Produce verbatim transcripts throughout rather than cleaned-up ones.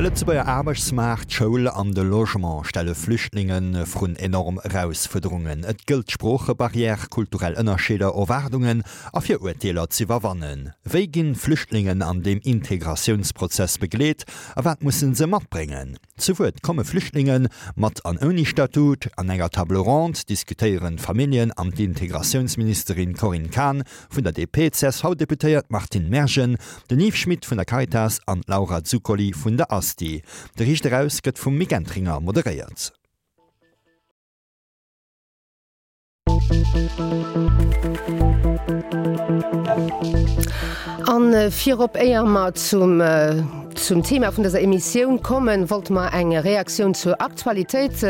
De Lëtzebuerger Aarbechtsmaart, d'Schoul an de Logement stelle Flüchtlinge vrun enorm Erausfuerderungen. Et gëllt d'Sproochebarrière, kulturell Ënnerscheeder, Erwaardungen a Virurteeler z'iwwerwannen. Wéi ginn Flüchtlingen an deem Integratiounsprozess begleet a wat musse se matbréngen? Zu Wuert komme Flüchtlinge mat an ouni Statut. An enger Table ronde diskutéieren Familljen an d'Integratiounsministerin Corinne Cahen vun der D P, C S V-Deputéiert Martine Mergen, den Yves Schmidt vun der Caritas an d'Laura Zuccoli vun der ASTI. De Riicht Eraus gëtt vum Mick Entringer moderéiert. An virop, éier mer zum zum Thema vun dëser Emissioun kommen, wollte mer eng Reaktioun zur Aktualitéit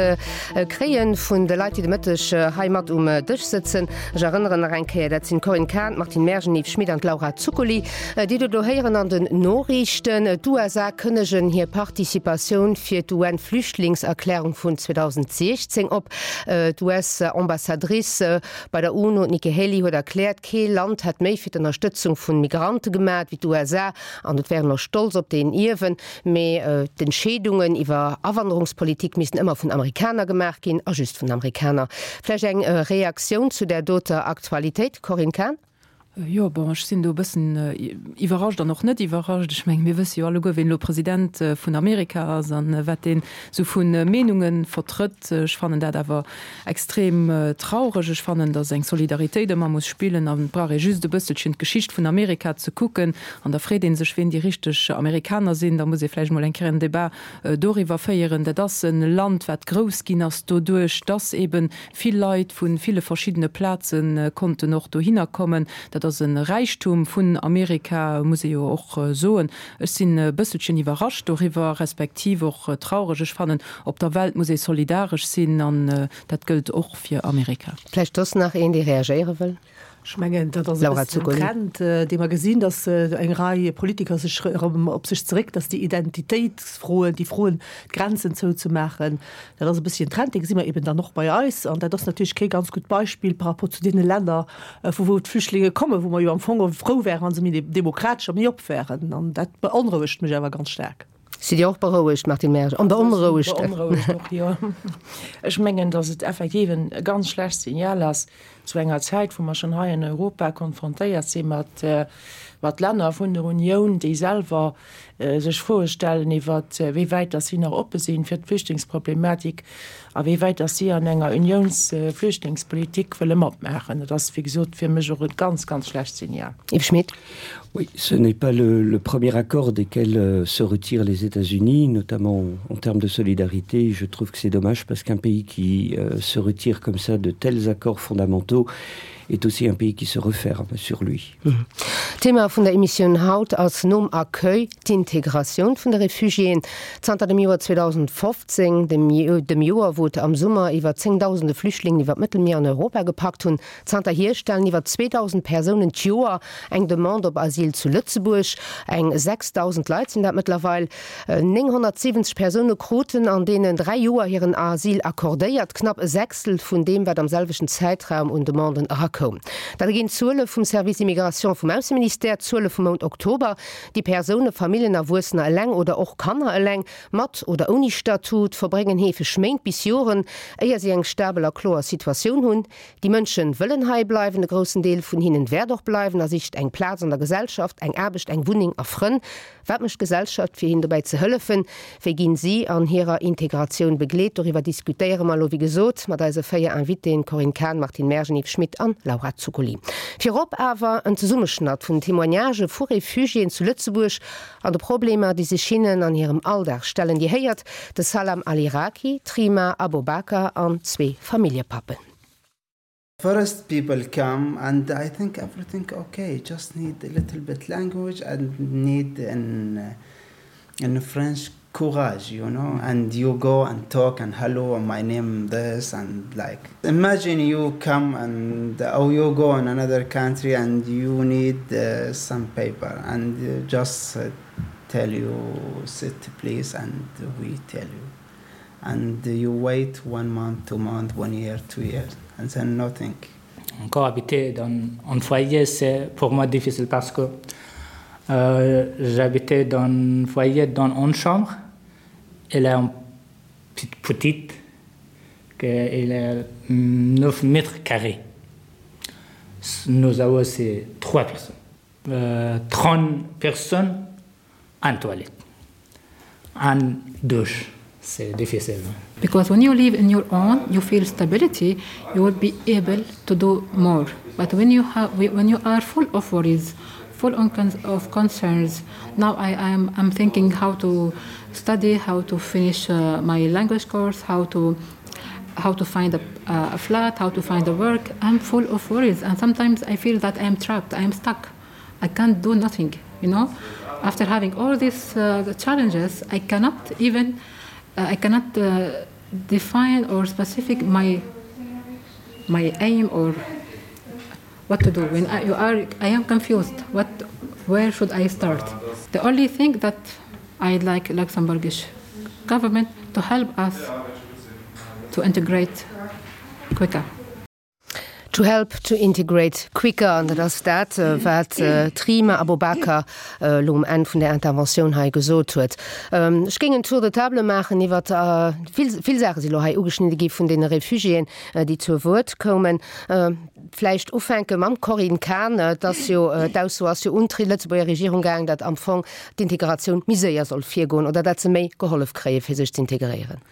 kréien vun de Leit, déi de Mëtteg hei mat um Dësch sëtzen. Ech erënneren nach eng Kéier, dat sinn d'Corinne Cahen, d'Martine Mergen, Yves Schmidt an d'Laura Zuccoli, déi Der do héieren an den Noriichten. D'U S A kënnegen hir Participatioun fir d'U N-Flüchtlingserklärung vun zweedausendsiechzéng op. D'U S-Ambassadrice bei der UNO, d'Nikki Haley, huet erkläert, kee Land hätt méi fir d'Ënnerstëtzung vun Migrante gemaach wéi d'U S A an et wären och stolz op deen Ierwen, mee d'Entscheedungen iwwer Awanderungspolitik missten ëmmer vun Amerikaner gemaach ginn a just vun Amerikaner. Vläicht eng Reaktioun zu där doter Aktualitéit, Corinne Cahen? Jo, bon, ech sinn do e bëssen iwwerrascht an och net iwwerrascht. Ech mengen, mir wësse jo alleguer, wien elo President vun Amerika ass an wat deen esou vu Meenunge vertrëtt. Ech fannen dat awer extrem traureg. Ech fannen, datt eng Solidaritéit ëmmer muss spillen an et brauch ee just e bësselchen d'Geschicht vun Amerika ze kucken an da freet ee sech, wien déi richteg Amerikaner sinn. Da muss ee vläicht mol eng Kéier en Debat doriwwer féieren. Dat ass e Land, wat grouss ginn ass doduerch, datt eebe vill Leit vu ville verschiddene Plaze konnten och dohinner kommen. Dat ass e Räichtum vun Amerika, muss ee jo och soen. Ech sinn e bësselchen iwwerrascht doriwwer, respektiv och traureg. Ech fannen, op der Welt muss ee solidaresch sinn an dat gëllt och fir Amerika. Vläicht soss nach een, dee reagéiere wëll? Ech mengen, dat ass e Laura bëssen en Zuccoli. Trend, dee mer gesinn, datt eng Rei Politiker sech erëm op sech zeréck, datt déi Identitéitsfroen, déi Froen, d'Grenzen zouzemaachen, dat ass e bësschen en Trend, dee gesi mer eben dann och bei eis. An dat ass natierlech kee ganz gutt Beispill par rapport zu deene Länner, vu wou d'Flüchtlinge kommen, wou mer jo am Fong frou wären, wa se méi demokratesch a méi op wären. An dat beonrouegt mech awer ganz staark. Sidd Dir och berouegt, Martine Mergen? An beonrouegt? Beonrouegt och, jo. Ech mengen, datt et effektiv e ganz schlecht Signal ass zu enger Zäit, wou mer schonn hei an Europa konfrontéiert si mat mat Länner vun der Unioun, déi selwer sech Froe stellen iwwer wéi wäit datt si nach oppe sinn fir d'Flüchtlingsproblematik a wéi wäit datt si an enger Uniounsflüchtlingspolitik wëlle matmaachen. Dat ass, wéi gesot, fir mech och e ganz, ganz schlecht Signal. Yves Schmidt. Oui, ce n'est pas le, le premier accord desquels euh, se retirent les États-Unis, notamment en termes de solidarité. Je trouve que c'est dommage parce qu'un pays qui euh, se retire comme ça de tels accords fondamentaux est aussi un pays qui se referme sur lui. Mhm. Thema vun der Emissioun haut ass nom Accueil d'Integratioun vun de Refugiéen. Zanter dem Joer zweedausendfofzéng, dem, dem Joer, wou et am Summer iwwer zéngdausende Flüchtlingen iwwer d'Mëttelmier an Europa gepackt hunn, zanterhier stellen iwwer zweedausend Persounen d'Joer eng Demande op Asyl zu Lëtzebuerg. Eng sechsdausend Leit sinn dat mëttlerweil. nénghonnertsiwwenzeg Persoune kruten an deenen dräi Joer hiren Asyl accordéiert, knapp e Sechstel vun deem, wat am selwechten Zäitraum un Demanden erakoum. Dat erginn d'Zuele vum Service Immigration vum Ausseministère, Zuele vum Mount Oktober. Déi Persoune, Familljen, Erwuessener eleng oder och Kanner eleng, mat oder ouni Statut, verbréngen heefeg Méint bis Joren, éier si eng stabel a kloer Situatioun hunn. Déi Mënsche wëllen hei bleiwen, e groussen Deel vun hinnen wäert och bleiwen a sicht eng Plaz an der Gesellschaft, eng Aarbecht, eng Wunneng a Frënn. Wat mécht d'Gesellschaft, fir hinnen dobäi ze hëllefen? Wéi ginn si an hirer Integratioun begleet? Doriwwer diskutéiere mer elo, wéi gesot, mat eise véier Invitéen, Corinne Cahen, Martine Mergen, Yves Schmidt an Laura Zuccoli. Virop awer en Zesummeschnatt vun Témoignagë vu Refugiéen zu Lëtzebuerg an de Problemer, déi sech hinnen an hirem Alldag stellen. Dir héiert de Salam Al-Iraki, d'Rima Abobakr an zwee Familljepappen. First people come and I think everything okay, just need a little bit language and need in, in French courage, you know, and you go and talk and hello, my name this and like imagine you come and or you go in another country and you need uh, some paper and uh, just uh, tell you sit please and we tell you and you wait one month, two months, one year, two years and then nothing. Encore habiter dans un foyer, c'est pour moi difficile parce que euh, j'habitais dans un foyer dans une chambre. Elle est un petite, elle est neuf mètres carrés. Nous avons c'est trois personnes. Euh, trente personnes en toilette, en douche. C'est difficile. Because when you live in your own, you feel stability, you will be able to do more. But when you, have, when you are full of worries, full of concerns, now I am I'm thinking how to study, how to finish uh, my language course, how to how to find a, uh, a flat, how to find a work. I'm full of worries and sometimes I feel that I am trapped, I am stuck. I can't do nothing, you know. After having all these uh, the challenges, I cannot even uh, I cannot uh, define or specific my my aim or what to do when I, you are I am confused what where should I start the only thing that I'd like Luxembourgish government to help us to integrate quicker. To help to integrate quicker, an dat ass dat, wat d'Rima Abubakar elo um Enn vun der Interventioun hei gesot huet. Ech géing en Tour de table maachen iwwer vill, vill Saache si lo hei ugeschnidde gi vun deene Refugiéen, déi zu Wuert koumen. Vläicht ufänke mam Corinne Cahen. Et ass jo, d'Ausso ass jo un d'Lëtzebuerger Regierung gaangen, datt am Fong d'Integratioun méi séier soll virgoen oder datt se méi gehollef kréie fir sech z'integréieren.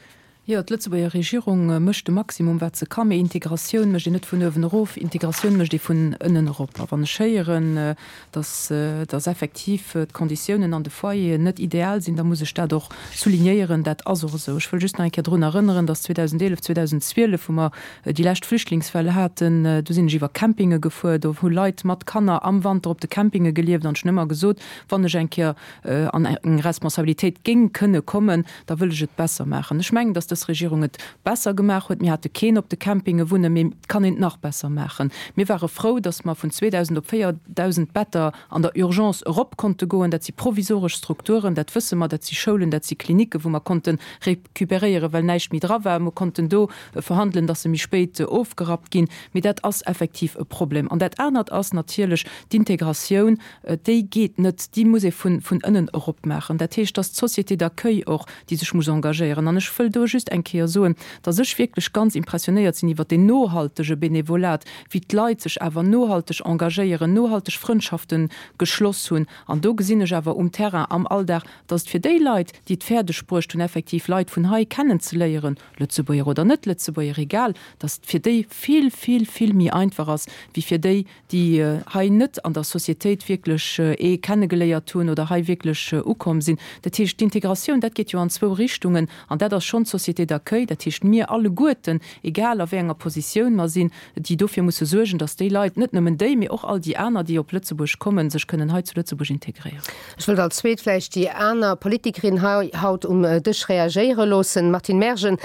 Jo, d'Lëtzebuerger Regierung mécht de Maximum, wat se ka. Mee Integratioun mécht een net vun uewen erof, Integratioun mécht ee vun ënnen erop. A wann ech héieren, datt, datt effektiv d'Konditiounen an de Foyeren net ideal sinn, da muss ech dat och soulignéieren. Dat ass och esou. Ech wëll just nach eng Kéier drun erënneren, datt zweedausendeelef, zweedausendzwielef, wou mer déi lescht Flüchtlingswell haten, do sinn ech iwwer Campinge gefuer, do hu Leit mat Kanner am Wanter op de Campinge gelieft. An ech hunn ëmmer gesot, wann ech eng Kéier an eng Responsabilitéit géing kënne kommen, da wëll ech et besser maachen. Ech mengen, dass dës Regierung et besser gemaach huet. Mir hate keen op de Campinge wunnen, mee et kann een et nach besser maachen. Mir ware frou, dass mer vun zweedausend op véierdausend Better an der Urgence erop konnte goen. Dat si provisoresch Strukturen, dat wësse mer, dat si Schoulen, dat si Klinicken, wou mer konnte recuperéieren, well näischt méi dra war. Mer konnten do verhandelen, dass se méi spéit ofgerappt ginn. Mee dat ass effektiv e Problem. An dat anert ass natierlech d'Integratioun. Déi geet net, déi muss ee vun ënnen erop maachen. Dat heescht, dass d'Société d'accueil och, déi sech muss engagéieren. An ech wëll do just eng Kéier soen, dass ech wierklech ganz impressionéiert sinn iwwert deen nohaltege Benevolat, wéi d'Leit sech awer nohalteg engagéieren, nohalteg Frëndschafte geschloss hunn. An do gesinn ech awer um Terrain, am Alldag, dass et fir déi Leit, déi et fäerdeg bruecht hunn, effektiv Leit vun hei kennenzeléieren, Lëtzebuerger oder net-Lëtzebuerger, egal, dass et fir déi vill, vill, vill méi einfach ass wéi fir déi, déi hei net an der Societéit wierklech ee kennegeléiert hunn oder hei wierklech ukomm sinn. Dat heescht, d'Integratioun, dat geet jo an zwou Richtungen an dat ass schonn d'Société d'accueil, dat heescht mir alleguerten, egal a wéi enger Positioun mer sinn, déi dofir musse suergen, datt déi Leit, net nëmmen déi, mee och all déi aner, déi op Lëtzebuerg kommen, sech kënnen hei zu Lëtzebuerg integréieren. Ech wëllt als zweet vläicht déi aner Politikerin hei haut um Dësch reagéiere loossen. Martine Mergen,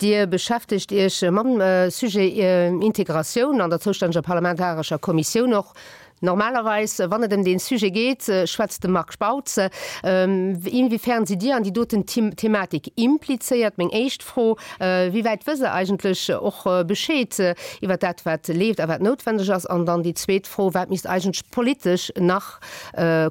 Dir beschäftegt Iech mam Sujet Integratioun an der zoustänneger parlamentarescher Kommissioun och. Normalerweis, wann et ëm dee Sujet geet, schwätzt de Marc Spautz. Inwiefern sidd Dir an déi doten Thematik implizéiert? Meng éischt Fro, Wéi wäit wësst Der eigentlech och Bescheed iwwer dat, wat leeft a wat noutwendeg ass? An dann déi zweet Fro, Wat misst eigentlech politesch nach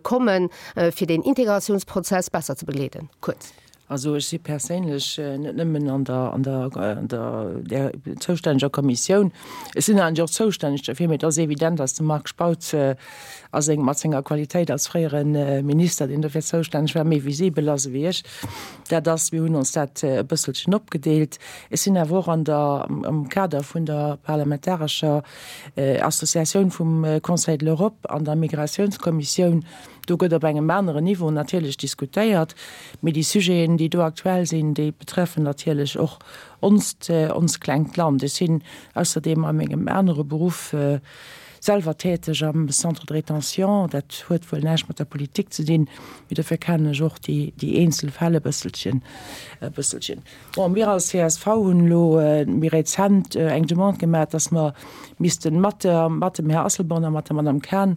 kommen, fir deen Integratiounsprozess besser ze begleeden? Kuerz. Also ech si perséinlech net nëmmen an der, an der, an der, där zoustänneger Kommissioun, ech sinn eigentlech och zoustänneg derfir, mee et ass evident, dass de Marc Spautz a seng, mat senger Qualitéit als fréiere Minister, deen dofir zoustänneg war, méi visibel ass ewéi ech. Dat ass, mir hunn ons dat e bësselchen opgedeelt. Ech sinn awer och an der, am Kader vun der parlamentarescher Associatioun vum Conseil de l'Europe an der Migratiounskommissioun. Do gëtt op engem aneren Niveau natierlech diskutéiert, mee déi Sujeten, déi do aktuell sinn, déi betreffen natierlech och onst, onst klengt Land. Ech sinn ausserdeem a mengem anere Beruff selwer täteg am Centre de rétention. Dat huet wuel näischt mat der Politik ze dinn, mee dofir kennen ech och déi, déi eenzel Fäll e bësselchen, e bësselchen. Bon, mir als C S V hunn elo méi rezent eng Demande gemaach, dass mer missten mat der, mat dem Här Asselborn a mat der Madame Cahen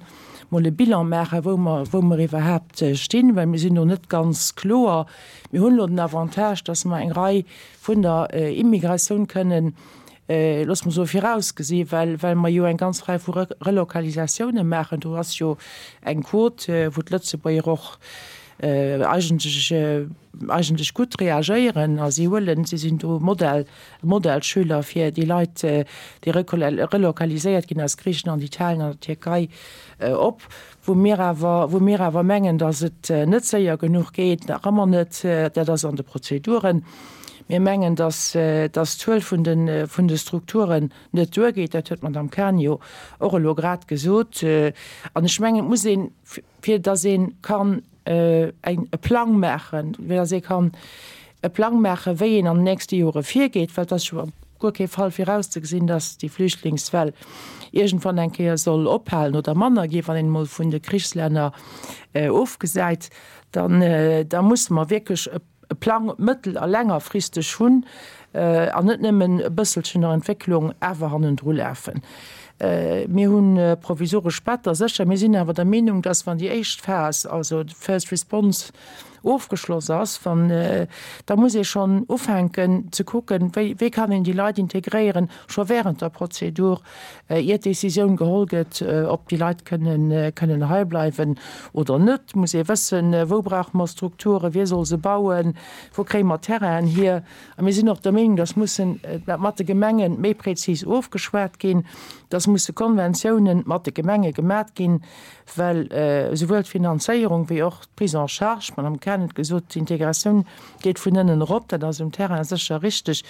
mol e Bilan maachen, wou mer, wou mer iwwerhaapt stinn, well mir sinn do net ganz kloer. Mir hunn elo den Avantage, dass mer eng Rei vun der Immigratioun kënnen, loosse mer soen, virausgesi, well, well mer jo eng ganz Rei vu Relokalisatiounen maachen. Do ass jo eng Quote, wou d'Lëtzebuerger och eigentlech eigentlech gutt reagéieren a si huelen, si sinn do Modell, Modellschüler fir déi Leit, déi relokaliséiert ginn aus Griichenland, Italien an der Tierkei op, wou mir awer, wou mir awer mengen, datt et net séier genuch geet, nach ëmmer net, dat ass an de Prozeduren. Mir mengen, datt, datt d'Zuel vun de, vun de Strukturen net duergeet, dat huet d'Madame Cahen jo och elo grad gesot. An ech mengen, et muss een, fir datt ee kann eng, e Plang maachen, fir datt ee kann e Plang maachen, wéi een an den nächste Jore virgeet, well et ass jo a guer kee Fall virauszegesinn, datt déi Flüchtlingswell iergendwann eng Kéier soll ophalen oder manner ginn, wann een emol vun de Krichslänner ofgesäit, dann, da musse mer wierklech e e Plang mëttel a längerfristeg hunn an net nëmmen e bësselchen der Entwécklung awer hannendru lafen. Mir hu provisoresch Better, sécher. Mir sinn awer der Meenung, dass, wann déi éischt Phas, also d'First Response, ofgeschloss ass, wann, da muss ee schonn ufänken ze kucken, wéi, wéi kann een déi Leit integréieren, scho während der Prozedur, ier d'Décisioun geholl gëtt, ob déi Leit kënnen, kënnen heibleiwen oder net, muss ee wëssen, wou brauche mer Strukturen, wie soll se bauen, wou kréie mer Terrainen hier. A mir sinn och der Meenung, dass mussen dat mat de Gemenge méi prezis ofgeschwat ginn, dass musse Konventiounen mat de Gemenge gemat ginn, well esouwuel d'Finanzéierung wéi och d'Prise en charge, d'Madame Cahen huet gesot, d'Integratioun geet vun ënnen erop, dat ass um Terrain sécher richteg,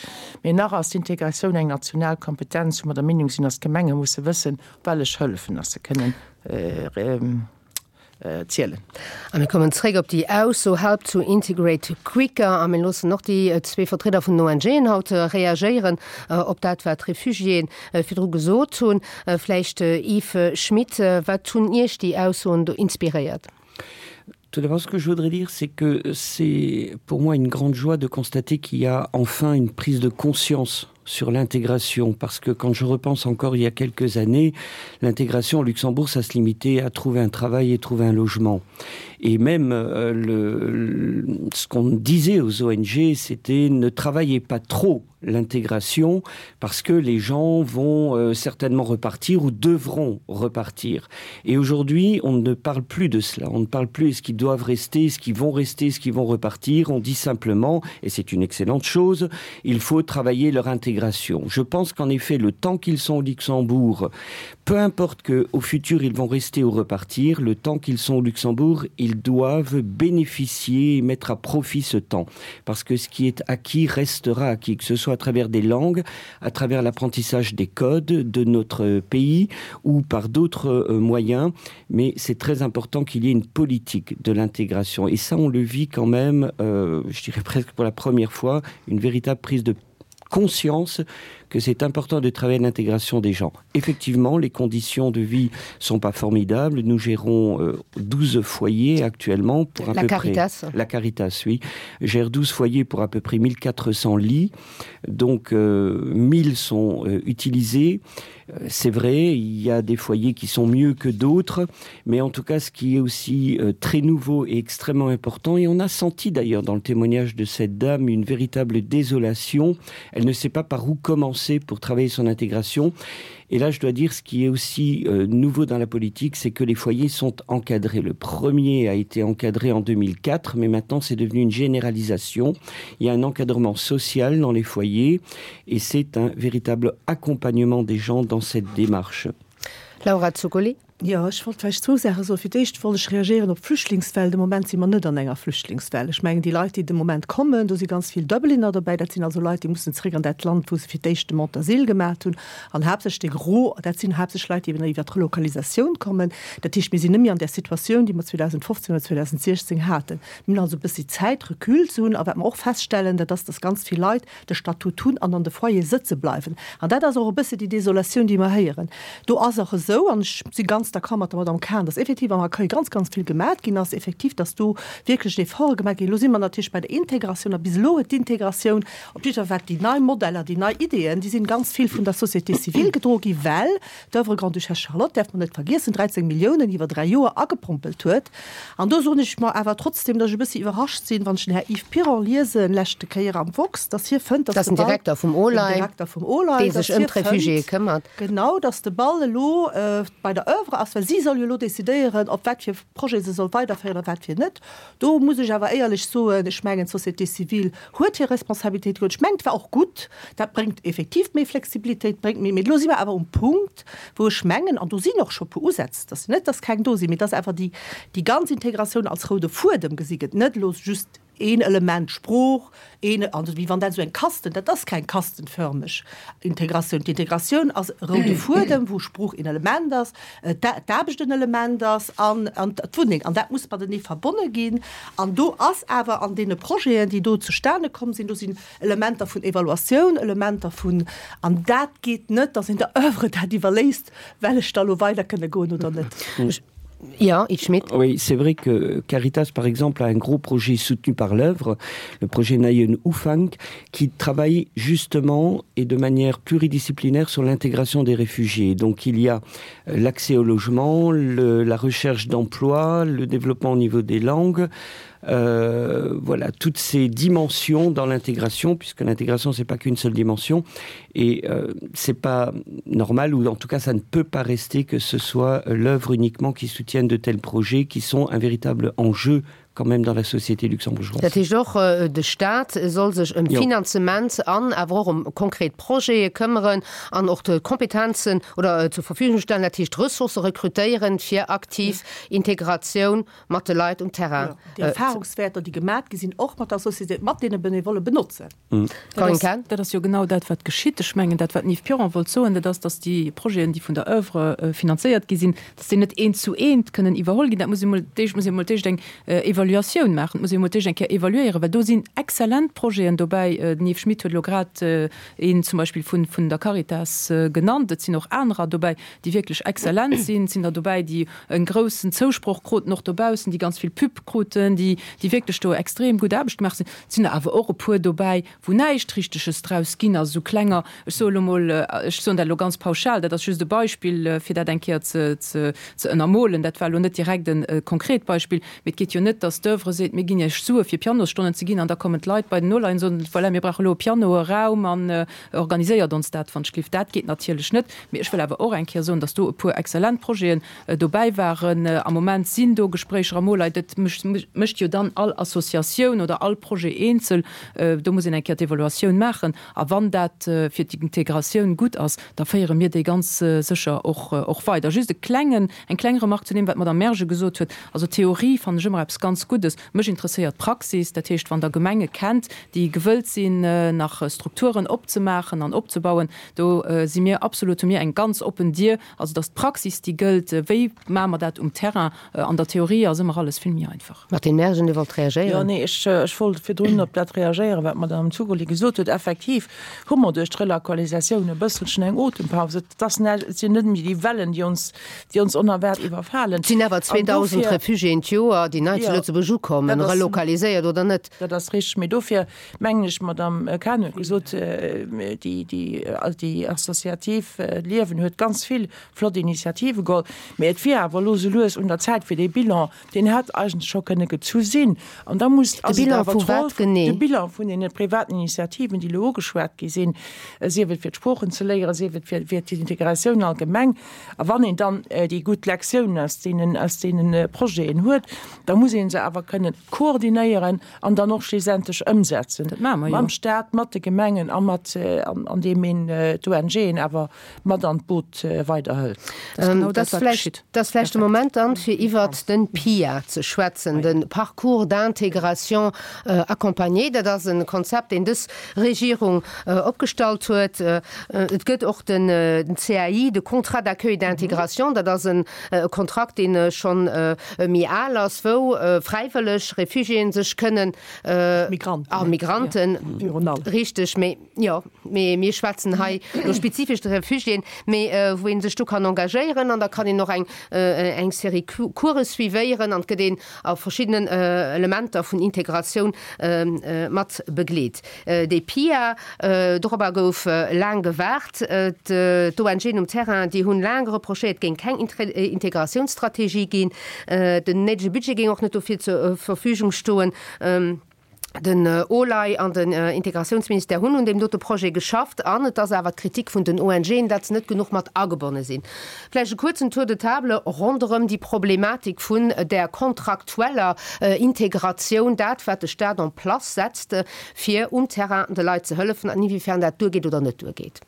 mee nach ass d'Integratioun eng national Kompetenz, wou mer der Meenung sinn, dass d'Gemenge musse wëssen, op wellech Hëllefen dass se kënnen zielen. A mir kommen zréck op déi Ausso help to integrate quicker a mir loossen och déi zwee Vertrieder vun den ONGen haut reagéieren op dat, wat d'Refugiéen virdru gesot hunn. Vläicht Yves Schmidt, wat hunn Iech déi Aussoen do inspiréiert? Tout d'abord, ce que je voudrais dire, c'est que c'est pour moi une grande joie de constater qu'il y a enfin une prise de conscience sur l'intégration parce que quand je repense encore il y a quelques années, l'intégration au Luxembourg ça se limitait à trouver un travail et trouver un logement. Et même euh, le, le, ce qu'on disait aux O N G, c'était ne travaillez pas trop l'intégration parce que les gens vont euh, certainement repartir ou devront repartir. Et aujourd'hui, on ne parle plus de cela. On ne parle plus est-ce qu'ils doivent rester, est-ce qu'ils vont rester, est-ce qu'ils vont repartir. On dit simplement, et c'est une excellente chose, il faut travailler leur intégration. Je pense qu'en effet, le temps qu'ils sont au Luxembourg, peu importe que au futur ils vont rester ou repartir, le temps qu'ils sont au Luxembourg, ils doivent bénéficier et mettre à profit ce temps. Parce que ce qui est acquis restera acquis, que ce soit à travers des langues, à travers l'apprentissage des codes de notre pays ou par d'autres euh, moyens, mais c'est très important qu'il y ait une politique de l'intégration. Et ça, on le vit quand même, euh, je dirais presque pour la première fois, une véritable prise de conscience que c'est important de travailler l'intégration des gens. Effectivement, les conditions de vie sont pas formidables. Nous gérons euh, douze foyers actuellement pour à la peu Caritas. Près la Caritas, oui, gère douze foyers pour à peu près mille quatre cents lits. Donc euh, mille sont euh, utilisés. Euh, c'est vrai, il y a des foyers qui sont mieux que d'autres, mais en tout cas ce qui est aussi euh, très nouveau et extrêmement important et on a senti d'ailleurs dans le témoignage de cette dame une véritable désolation. Elle ne sait pas par où commencer pour travailler son intégration. Et là, je dois dire ce qui est aussi euh, nouveau dans la politique, c'est que les foyers sont encadrés. Le premier a été encadré en deux mille quatre, mais maintenant c'est devenu une généralisation. Il y a un encadrement social dans les foyers et c'est un véritable accompagnement des gens dans cette démarche. Laura Zuccoli. Jo, ech wollt vläicht zwou Saache soen. Fir d'éischt wollt ech reagéieren op d'Flüchtlingswell. De Moment si mer net an enger Flüchtlingswell. Ech mengen, déi Leit, déi de Moment kommen, do si ganz vill Dubliner dobäi. Dat sinn also Leit, déi mussen zréck an dat Land, wou se fir d'éischt Demande d'asile gemaach hunn. An haaptsächlech de Gros, dat sinn haaptsächlech Leit, déi eben iwwer d'Relokalisatioun kommen. Dat heescht, mir sinn net méi an där Situatioun, déi mer zweedausendfofzéng oder zweedausendsiechzéng haten. Mir hunn also e bëssi Zäit, Recul ze hunn. A wat mer och feststellen, dat ass, dass ganz vill Leit de Statut hunn an an de Foyere sëtze bleiwen. An dat ass och e bëssi déi Desolatioun, déi mer héieren. Do ass och esou, an ech si ganz d'accord mat der Madame Cahen, dass effektiv am Accueil ganz, ganz vill gemaach ginn ass, effektiv, dass do wierklech Efforte gemaach ginn. Elo si mer natierlech bei der Integratioun a bis elo huet d'Integratioun, op jidder Fall wat déi nei Modeller, déi nei Ideeën, déi sinn ganz vill vun der Société civile gedroe gi, well d'Oeuvre Grande-Duchesse Charlotte, däerf mer net vergiessen, dräizéng Milliounen iwwer dräi Joer agepompelt huet. An do soen ech mer awer trotzdem, dass ech e bëssi iwwerrascht sinn, wann ech den Här Yves Piron liesen, leschte Kéier am Woxx, dass hie fënnt, dass Dat ass de den Ball, Direkter vum den OLAI, Direkter vum OLAI, dee dass sech ëm hie d'Refugiéë fënnt, këmmert. Genau, dass de Ball elo bei der Oeuvre d'Chamber ass, well si soll jo elo decidéieren, op wat fir Projete se soll weiderféieren a wat fir net. Do muss ech awer éierlech soen, ech mengen, d'Société civile huet hir Responsabilitéit geholl. Ech mengen, et war och gutt, dat bréngt effektiv méi Flexibilitéit, bréngt méi, mee elo si mer awer um Punkt, wou ech mengen, an do sinn och scho e puer Usätz, et ass jo net, datt keng do sinn, mee datt awer déi, déi ganz Integratioun als roude Fuedem gesi gëtt, net elo just een Element Sprooch, een, also wéi wann dat esou eng Kasten, dat ass keng kastenförmeg Integratioun. D'Integratioun ass e roude Fuedem, wou Sprooch een Element ass, d'Aarbecht en Element ass an d'Wunneng. An dat muss matenee verbonne ginn. An do ass awer an deene Projeten, déi do zustane komm sinn, do sinn Elementer vun Evaluatioun, Elementer vun, an dat geet net, datt een der Oeuvre dat iwwerléisst, well ech da lo weider kënne goen oder net. Ja, Yves Schmidt. Oui, c'est vrai que Caritas par exemple a un gros projet soutenu par l'œuvre, le projet Nayen Ufang, qui travaille justement et de manière pluridisciplinaire sur l'intégration des réfugiés. Donc il y a euh, l'accès au logement, le, la recherche d'emploi, le développement au niveau des langues, euh, voilà toutes ces dimensions dans l'intégration puisque l'intégration c'est pas qu'une seule dimension et euh, c'est pas normal ou en tout cas ça ne peut pas rester que ce soit l'œuvre uniquement qui soutienne de tels projets qui sont un véritable enjeu quand même dans la société luxembourgeoise. Dat heescht och, de Staat soll sech ëm Finanzement an awer och ëm konkret Projete këmmeren an och d'Kompetenzen oder zur Verfügung stellen, dat heescht Ressourcë rekrutéieren, fir aktiv Integratioun mat de Leit um Terrain. Déi Erfahrungswäerter, déi gemat gi sinn, och mat der Société, mat deene Benevolle benotzen. Corinne Cahen. Dat ass jo genau dat, wat geschitt. Ech mengen, dat, wat den Yves Piron wollt soen, dat ass, datt déi Projeten, déi vun der Oeuvre finanzéiert gi sinn, datt déi net eent zu eent kënnen iwwerholl ginn. Dat muss ee mol, d'éischt muss ee mol d'éischt eng Evaluatioun maachen. Et muss ee mol d'éischt eng Kéier evaluéieren, well do sinn exzellent Projeten dobäi. Den Yves Schmit huet elo grad een zum Beispill vun, vun der Caritas genannt. Et sinn och anerer dobäi, déi wierklech exzellent sinn. Et sinn der dobäi, déi e groussen Zousproch kruten, och dobaussen, déi ganz vill Pub kruten, déi, déi wierklech do extrem gutt Aarbecht gemaach sinn. Et sinn der awer och e puer dobäi, wou näischt Richteges draus ginn ass, esou klenger, ech soe elo mol, ech soen dat elo ganz pauschal, dat ass just e Beispill, fir dat eng Kéier ze, ze, ze ënnermolen, dat war elo net direkt e konkret Beispill, mee et geet jo net, datt d'Oeuvre seet, mir ginn Iech Sue fir Pianosstonnen ze ginn an da kommen d'Leit bei den Nolei an soen, voilà, mir brauche elo e Piano, e Raum an organiséiert ons dat, wann ech gelift. Dat geet natierlech net. Mee ech wëll awer och eng Kéier soen, datt do e puer exzellent Projeten dobäi waren. Am Moment sinn do Gespréicher am Olei, dat mécht, mécht jo dann all Associatioun oder all Projet eenzel. Do muss een eng Kéier d'Evaluatioun maachen. A wann dat fir d'Integratioun gutt ass, da féiere mir déi ganz sécher och, och weider. Just e klengen, eng kleng Remarque zu deem, wat d'Madame Mergen gesot huet. Also Theorie fannen ech ëmmer eppes ganz Guddes. Mech interesséiert d'Praxis. Dat heescht, wann Der Gemenge kennt, déi gewëllt sinn, nach Strukturen opzemaachen an opzebauen, do si mir absolut, hu mir eng ganz oppen Dier. Also et ass d'Praxis, déi gëllt. Wéi maache mer dat um Terrain? An der Theorie ass ëmmer alles vill méi einfach. Martine Mergen, Dir wollt reagéieren. Jo, nee, ech, ech wollt virdrun op dat reagéieren, wat d'Madame Zugoli gesot huet. Effektiv hu mer duerch d'Relokalisatioun e bësselchen eng Otempaus. Et ass näischt, et sinn net méi déi Wellen, déi ons, déi ons onerwaart iwwerfalen. Et sinn awer An zweedausend dofir, Refugiéen d'Joer, déi nei zu jo, Lëtzebuerg ukommen, dat ass, relokaliséiert oder net. dat ass richteg. Mee dofir mengen ech, d'Madame Cahen huet gesot, déi, déi, déi associativ Liewen huet ganz vill flott Initiative geholl. Mee et wier awer elo sou lues un der Zäit fir dee Bilan, deen hätt eigentlech scho kënne gezu sinn. An da muss, De ass et Bilan awer vu d'Roll, wat genee? de Bilan vun deene privaten Initiativen, déi elo ugeschwat gi sinn, sief et fir d'Sproochen ze léieren, sief et fir, fir d'Integratioun allgemeng. A wann een dann déi gutt Lektiounen aus deenen, aus deene Projeten huet, da muss ee se awer kënnen koordinéieren an dann och schlussendlech ëmsetzen. Dat maache mer jo. Mam Stat, mat de Gemengen a mat, andeem een d'ONGen awer mat an d'Boot weiderhëlt. Dat ass genau Dat dat, ass wat vläicht, geschitt. dat ass vläicht de Moment dann, fir iwwert den PIA ze schwätzen, de Parcours d'intégration accompagné. Dat ass e Konzept, deen dës Regierung opgestallt huet. Et gëtt och den C A I, de Contrat d'accueil d'intégration. Dat ass e Kontrakt, dee schonn méi al ass, wou fräiwëlleg Réfugiéen sech kënnen, Migranten. Ah, Migranten, Virun allem. richteg, mee jo, mee mir schwätzen hei elo spezifesch de Réfugiéen, mee wou ee sech do kann engagéieren an da kann een och eng eng Serie Course suivéieren an et gëtt een a verschiddenen Elementer vun Integratioun mat begleet. Déi PIA, dorobber gouf laang gewaart. D'ONGen um Terrain, déi hunn laang reprochéiert, et géing keng Integratiounsstrategie ginn. Den néidege Budget géing och net dofir zur Verfügung stoen. Den OLAI an den Integratiounsministère hunn un deem dote Projet geschafft an et ass awer d'Kritik vun den ONGen, datt se net genuch mat agebonne sinn. Vläicht e kuerzen Tour de table ronderëm déi Problematik vun där kontraktueller Integratioun, dat wat de Staat en place setzt, fir um Terrain de Leit ze hëllefen, an inwiefern dat duergeet oder net duergeet.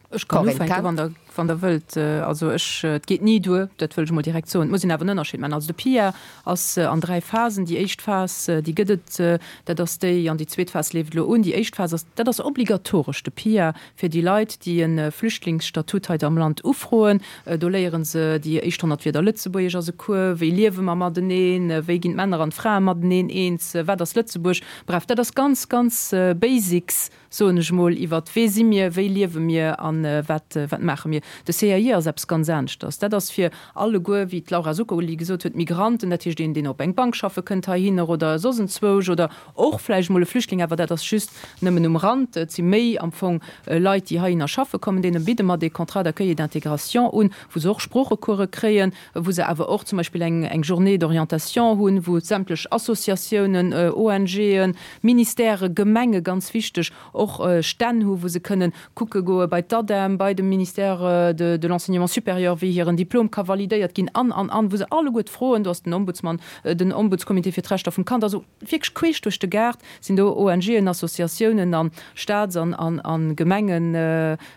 Ech kann ufänken, wann Der, wann Der wëllt. Also ech, et geet ni duer, dat wëll ech emol direkt soen. Et muss een awer en Ënnerscheed maachen. Also de PIA ass an dräi Phasen. Déi éischt Phas, déi gëtt et, dat ass déi, an déi zweet Phas leeft elo un. Déi éischt Phas ass, dat ass obligatoresch, de PIA, fir déi Leit, déi e Flüchtlingsstatut hei am Land ufroen. Do léiere se déi éischt honnert Wierder Lëtzebuergesch ass e Cours, wéi liewe mer mateneen, wéi ginn d'Männer an d'Frae mateneen eens, wat ass Lëtzebuerg. Bref, dat ass ganz, ganz Basics, soen ech mol, iwwert wee si mir, wéi liewe mir a wat, wat maache mir. De C A I ass eppes ganz aneschters. Dat ass fir alleguer, wéi d'Laura Zuccoli gesot huet, d'Migranten, dat heescht een, deen op eng Bank schaffe kënnt heihinner oder soss enzwousch oder och vläicht mol e Flüchtling, awer dat ass just nëmmen um Rand. Et si méi am Fong Leit, déi heihinner schaffe kommen, deene bidde mer dee Contrat d'accueil et d'intégration un, wou se och Sproochecourse kréien, wou se awer och zum Beispill eng, eng Journée d'orientation hunn, wou sämtlech Associatiounen, O N G'en, Ministèrë, Gemenge, ganz wichteg, och Stänn hu wou se kënnen kucke goe bei d'ADEM, bei dem Ministère de, de l'Enseignement supérieur, wéi hiren Diplom ka validéiert ginn an, an, an, wou se alleguer d'Froen, do ass den Ombudsmann, den Ombudscomité fir d'Rechter vum Kand, also wierklech queesch duerch de Gaart sinn do O N G'en, Associatiounen an Staats an, an, an Gemengen,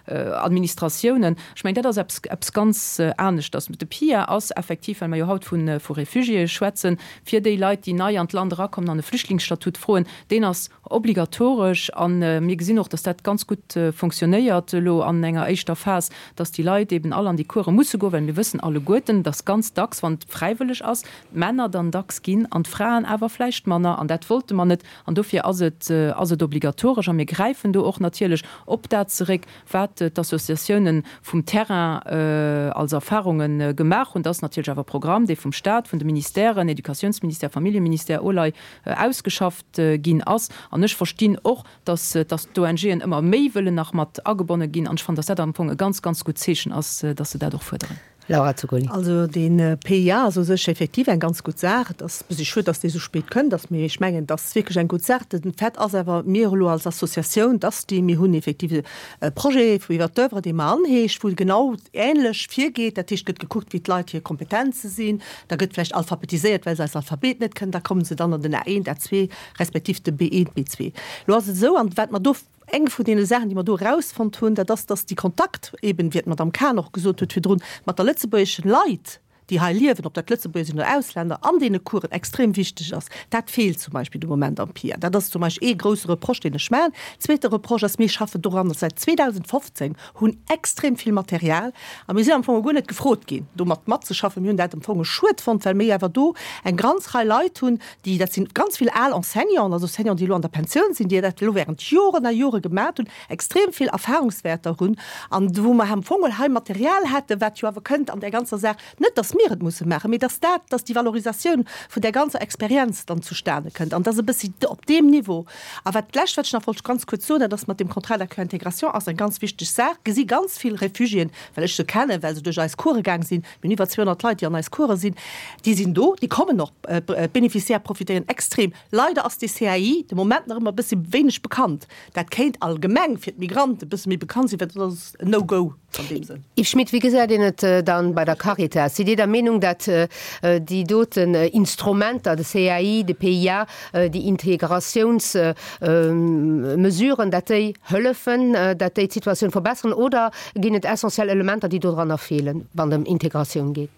Administratiounen. Ech mengen, dat ass eppes, eppes ganz aneschters. De P I A ass effektiv, well mer jo haut vu, vu Réfugiéë schwätzen, fir déi Leit, déi nei an d'Land erakommen an e Flüchtlingsstatut froen, deen ass obligatoresch an mir gesinn och, dass dat ganz gutt funktionéiert elo an enger éischter Phas, dass déi Leit eben all an déi Course musse goen, well mir wëssen alleguerten, dass ganz dacks, wann et fräiwëlleg ass, d'Männer dann dacks ginn an d'Fraen awer vläicht manner an dat wollte mer net an dofir ass et, ass et obligatoresch a mir gräifen do och natierlech op dat zeréck, wat d'Associatiounen vum Terrain als Erfahrungen gemaach hunn. Dat ass natierlech awer e Programm, dee vum Staat, vun de Ministèren, Educatiounsministère, Familljeministère, OLAI ausgeschafft ginn ass. An ech verstinn och, dass, dass d'O N G'en ëmmer méi wëllen nach mat agebonne ginn. An ech fannen, dass dat am Fong e ganz, ganz gutt Zeechen ass, dass se dat och fuerderen. Laura Zuccoli. Also den P I A ass u sech effektiv eng ganz gutt Saach. Et ass e bëssi schued, dass dee sou spéit kënnt, dass mir, ech mengen, dat ass wierklech eng gutt Saach. Den Fait ass awer, mir elo als Associatioun, dass déi, mir hunn effektiv e Projet vu iwwer d'Oeuvre, dee mer anheescht, wou genau ähnlech virgeet. Dat heescht, gëtt gekuckt, wéi d'Leit hir Kompetenze sinn. Da gëtt vläicht alphabetiséiert, well se eist Alphabet net kënnen. Da kommen se dann an den A eent, A zwee, respektiv de B eent, B zwee. Lo ass et esou, an wat mer do eng vun deene Saachen, déi mer do erausfonnt hunn, dat ass, dass déi Kontakt, eben wéi d'Madame Cahen och gesot huet virdrun, mat der lëtzebuergeschen Leit, déi hei liewen, ob dat Lëtzebuerger sinn oder Ausländer, an deene Coursen extrem wichteg ass. Dat feelt zum Beispill de Moment am P I A. Dat ass zum Beispill ee grousse Reproche, deen ech maachen. Zweete Reproche ass, mir schaffen doran säit zweedausendfofzéng, hunn extrem vill Material a mir sinn am Fong guer net gefrot ginn, domat matzeschaffen. Mir hunn dat am Fong schued fonnt, well mir awer do eng ganz Rei Leit hunn, déi, dat sinn ganz vill al Enseignanten, also Enseignanten, déi elo an der Pensioun sinn, déi dat elo während Joren a Jore gemaach hunn, extrem vill Erfahrungswärter hunn an wou mer am Fong hei Material hätten, wat jo awer kënnt an der ganzer Saach, net, dass mir et musse maachen, mee dass dat, dass déi Valorisatioun vun der ganzer Experienz dann zustane kënnt an dass e bëssi op deem Niveau. A wat d'lescht, wat ech nach wollt ganz kuerz soen, dat ass mat dem Contrat d'accueil intégration ass eng ganz wichteg Saach. Gesi ganz vill Réfugiéen, well ech se kennen, well se duerch eis Course gaang sinn, mir hunn iwwer zweehonnert Leit, déi an eis Course sinn, déi sinn do, déi kommen och, d'Bénéficiaires profitéieren extrem. Leider ass dee C A I de Moment nach ëmmer e bëssi wéineg bekannt. Dat kéint allgemeng fir d'Migranten e bësse méi bekannt sinn, well dat ass en No-Go an deem Sënn. Yves Schmidt, wéi gesäit een et dann bei der Caritas? Sidd Dir der Meenung, datt déi doten Instrumenter, de C A I, de P I A, déi Integratiounsmesuren, datt déi hëllefen, datt déi d'Situatioun verbessern oder ginn et essentiell Elementer, déi do dran nach feelen, wann et ëm Integratioun geet?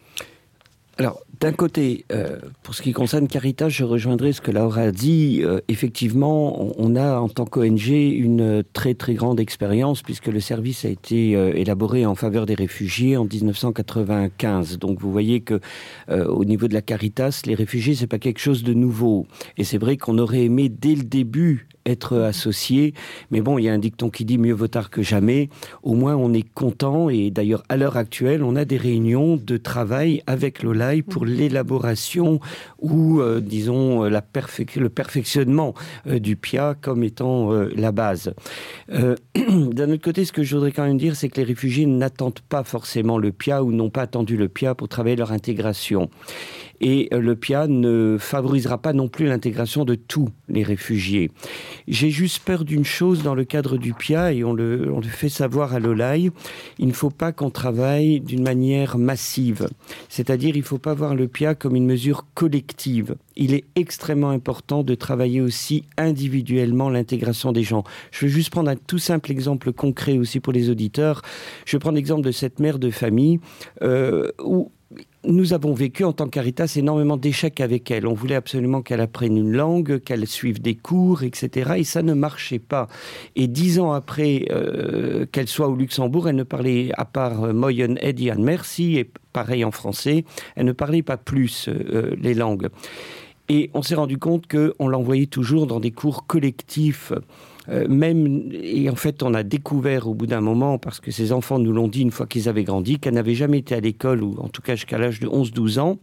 Alors, d'un côté, euh, pour ce qui concerne Caritas, je rejoindrai ce que Laura a dit. Euh, effectivement, on, on a en tant qu'O N G une très très grande expérience puisque le service a été euh, élaboré en faveur des réfugiés en mille neuf cent quatre-vingt-quinze. Donc vous voyez que, euh, au niveau de la Caritas, les réfugiés, c'est pas quelque chose de nouveau. Et c'est vrai qu'on aurait aimé dès le début être associé, mais bon, il y a un dicton qui dit mieux vaut tard que jamais. Au moins on est content et d'ailleurs à l'heure actuelle, on a des réunions de travail avec l'OLAI pour l'élaboration ou, euh, disons, la perfec-, le perfectionnement, euh, du P I A comme étant, euh, la base. Euh, d'un autre côté, ce que je voudrais quand même dire, c'est que les réfugiés n'attendent pas forcément le P I A ou n'ont pas attendu le P I A pour travailler leur intégration. Et euh, le P I A ne favorisera pas non plus l'intégration de tous les réfugiés. J'ai juste peur d'une chose dans le cadre du P I A et on le, on le fait savoir à l'O L A I, il ne faut pas qu'on travaille d'une manière massive. C'est-à-dire il ne faut pas voir le P I A comme une mesure collective. Il est extrêmement important de travailler aussi individuellement l'intégration des gens. Je vais juste prendre un tout simple exemple concret aussi pour les auditeurs. Je prends l'exemple de cette mère de famille euh, où nous avons vécu en tant que Caritas énormément d'échecs avec elle. On voulait absolument qu'elle apprenne une langue, qu'elle suive des cours, et cetera. Et ça ne marchait pas. Et dix ans après euh, qu'elle soit au Luxembourg, elle ne parlait à part euh, Moyen Eddie and Merci et pareil en français, elle ne parlait pas plus euh, les langues. Et on s'est rendu compte qu'on l'envoyait toujours dans des cours collectifs. Euh, même et en fait on a découvert au bout d'un moment, parce que ses enfants nous l'ont dit une fois qu'ils avaient grandi, qu'elle n'avait jamais été à l'école ou en tout cas jusqu'à l'âge de onze douze ans,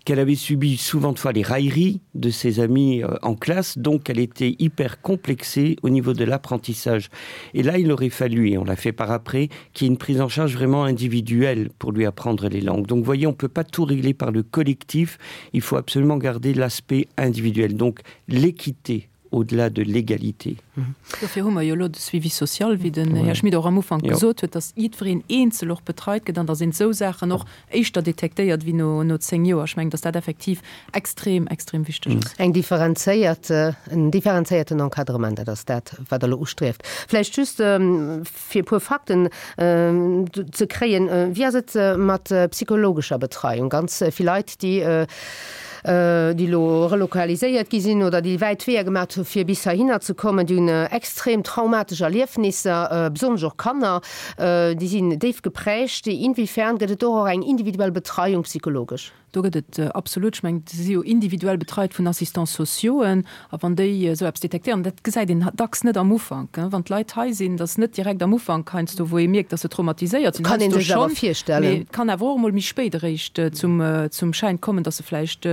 qu'elle avait subi souvent de fois les railleries de ses amis euh, en classe, donc elle était hyper complexée au niveau de l'apprentissage. Et là il aurait fallu, et on l'a fait par après, qu'il y ait une prise en charge vraiment individuelle pour lui apprendre les langues. Donc voyez, on peut pas tout régler par le collectif, il faut absolument garder l'aspect individuel, donc l'équité au-delà de l'égalité. Dofir hu mer jo lo de Suivi social, wéi den Här Schmit och am Ufank gesot huet, dass jiddwereen eenzel och betreit gëtt an da sinn esou Saachen och éischter detektéiert wéi no no zéng Joer. Ech mengen, dass dat effektiv extrem extrem wichteg ass. Eng differenzéiert en differenzéierten Encadrement, dat ass dat, wat Der elo ustrieft. Vläicht just fir e puer Fakten ze kréien, wéi ass et mat psychologescher Betreiung? Ganz vill Leit, déi déi lo relokaliséiert gi sinn oder déi wäit Weeër gemaach hu fir bis heihinner ze kommen, déi hunn extrem traumatesch Erliefnisser, besonnesch och Kanner, déi sinn déif geprägt. Inwiefern gëtt et do och eng individuell Betreiung psychologesch? Do gëtt et absolut, ech mengen, déi si jo individuell betreit vun Assistants sociauxen, a wann déi esou eppes detektéieren, dat gesäit een dacks net am Ufank, wann d'Leit hei sinn, dat ass net direkt am Ufank heiansdo, wou ee mierkt, dass se traumatiséiert sinn. Kann een Heiansdo sech awer schonn, virstellen. mee et kann awer och emol méi spéit eréischt zum, zum Schäin kommen, dass se vläicht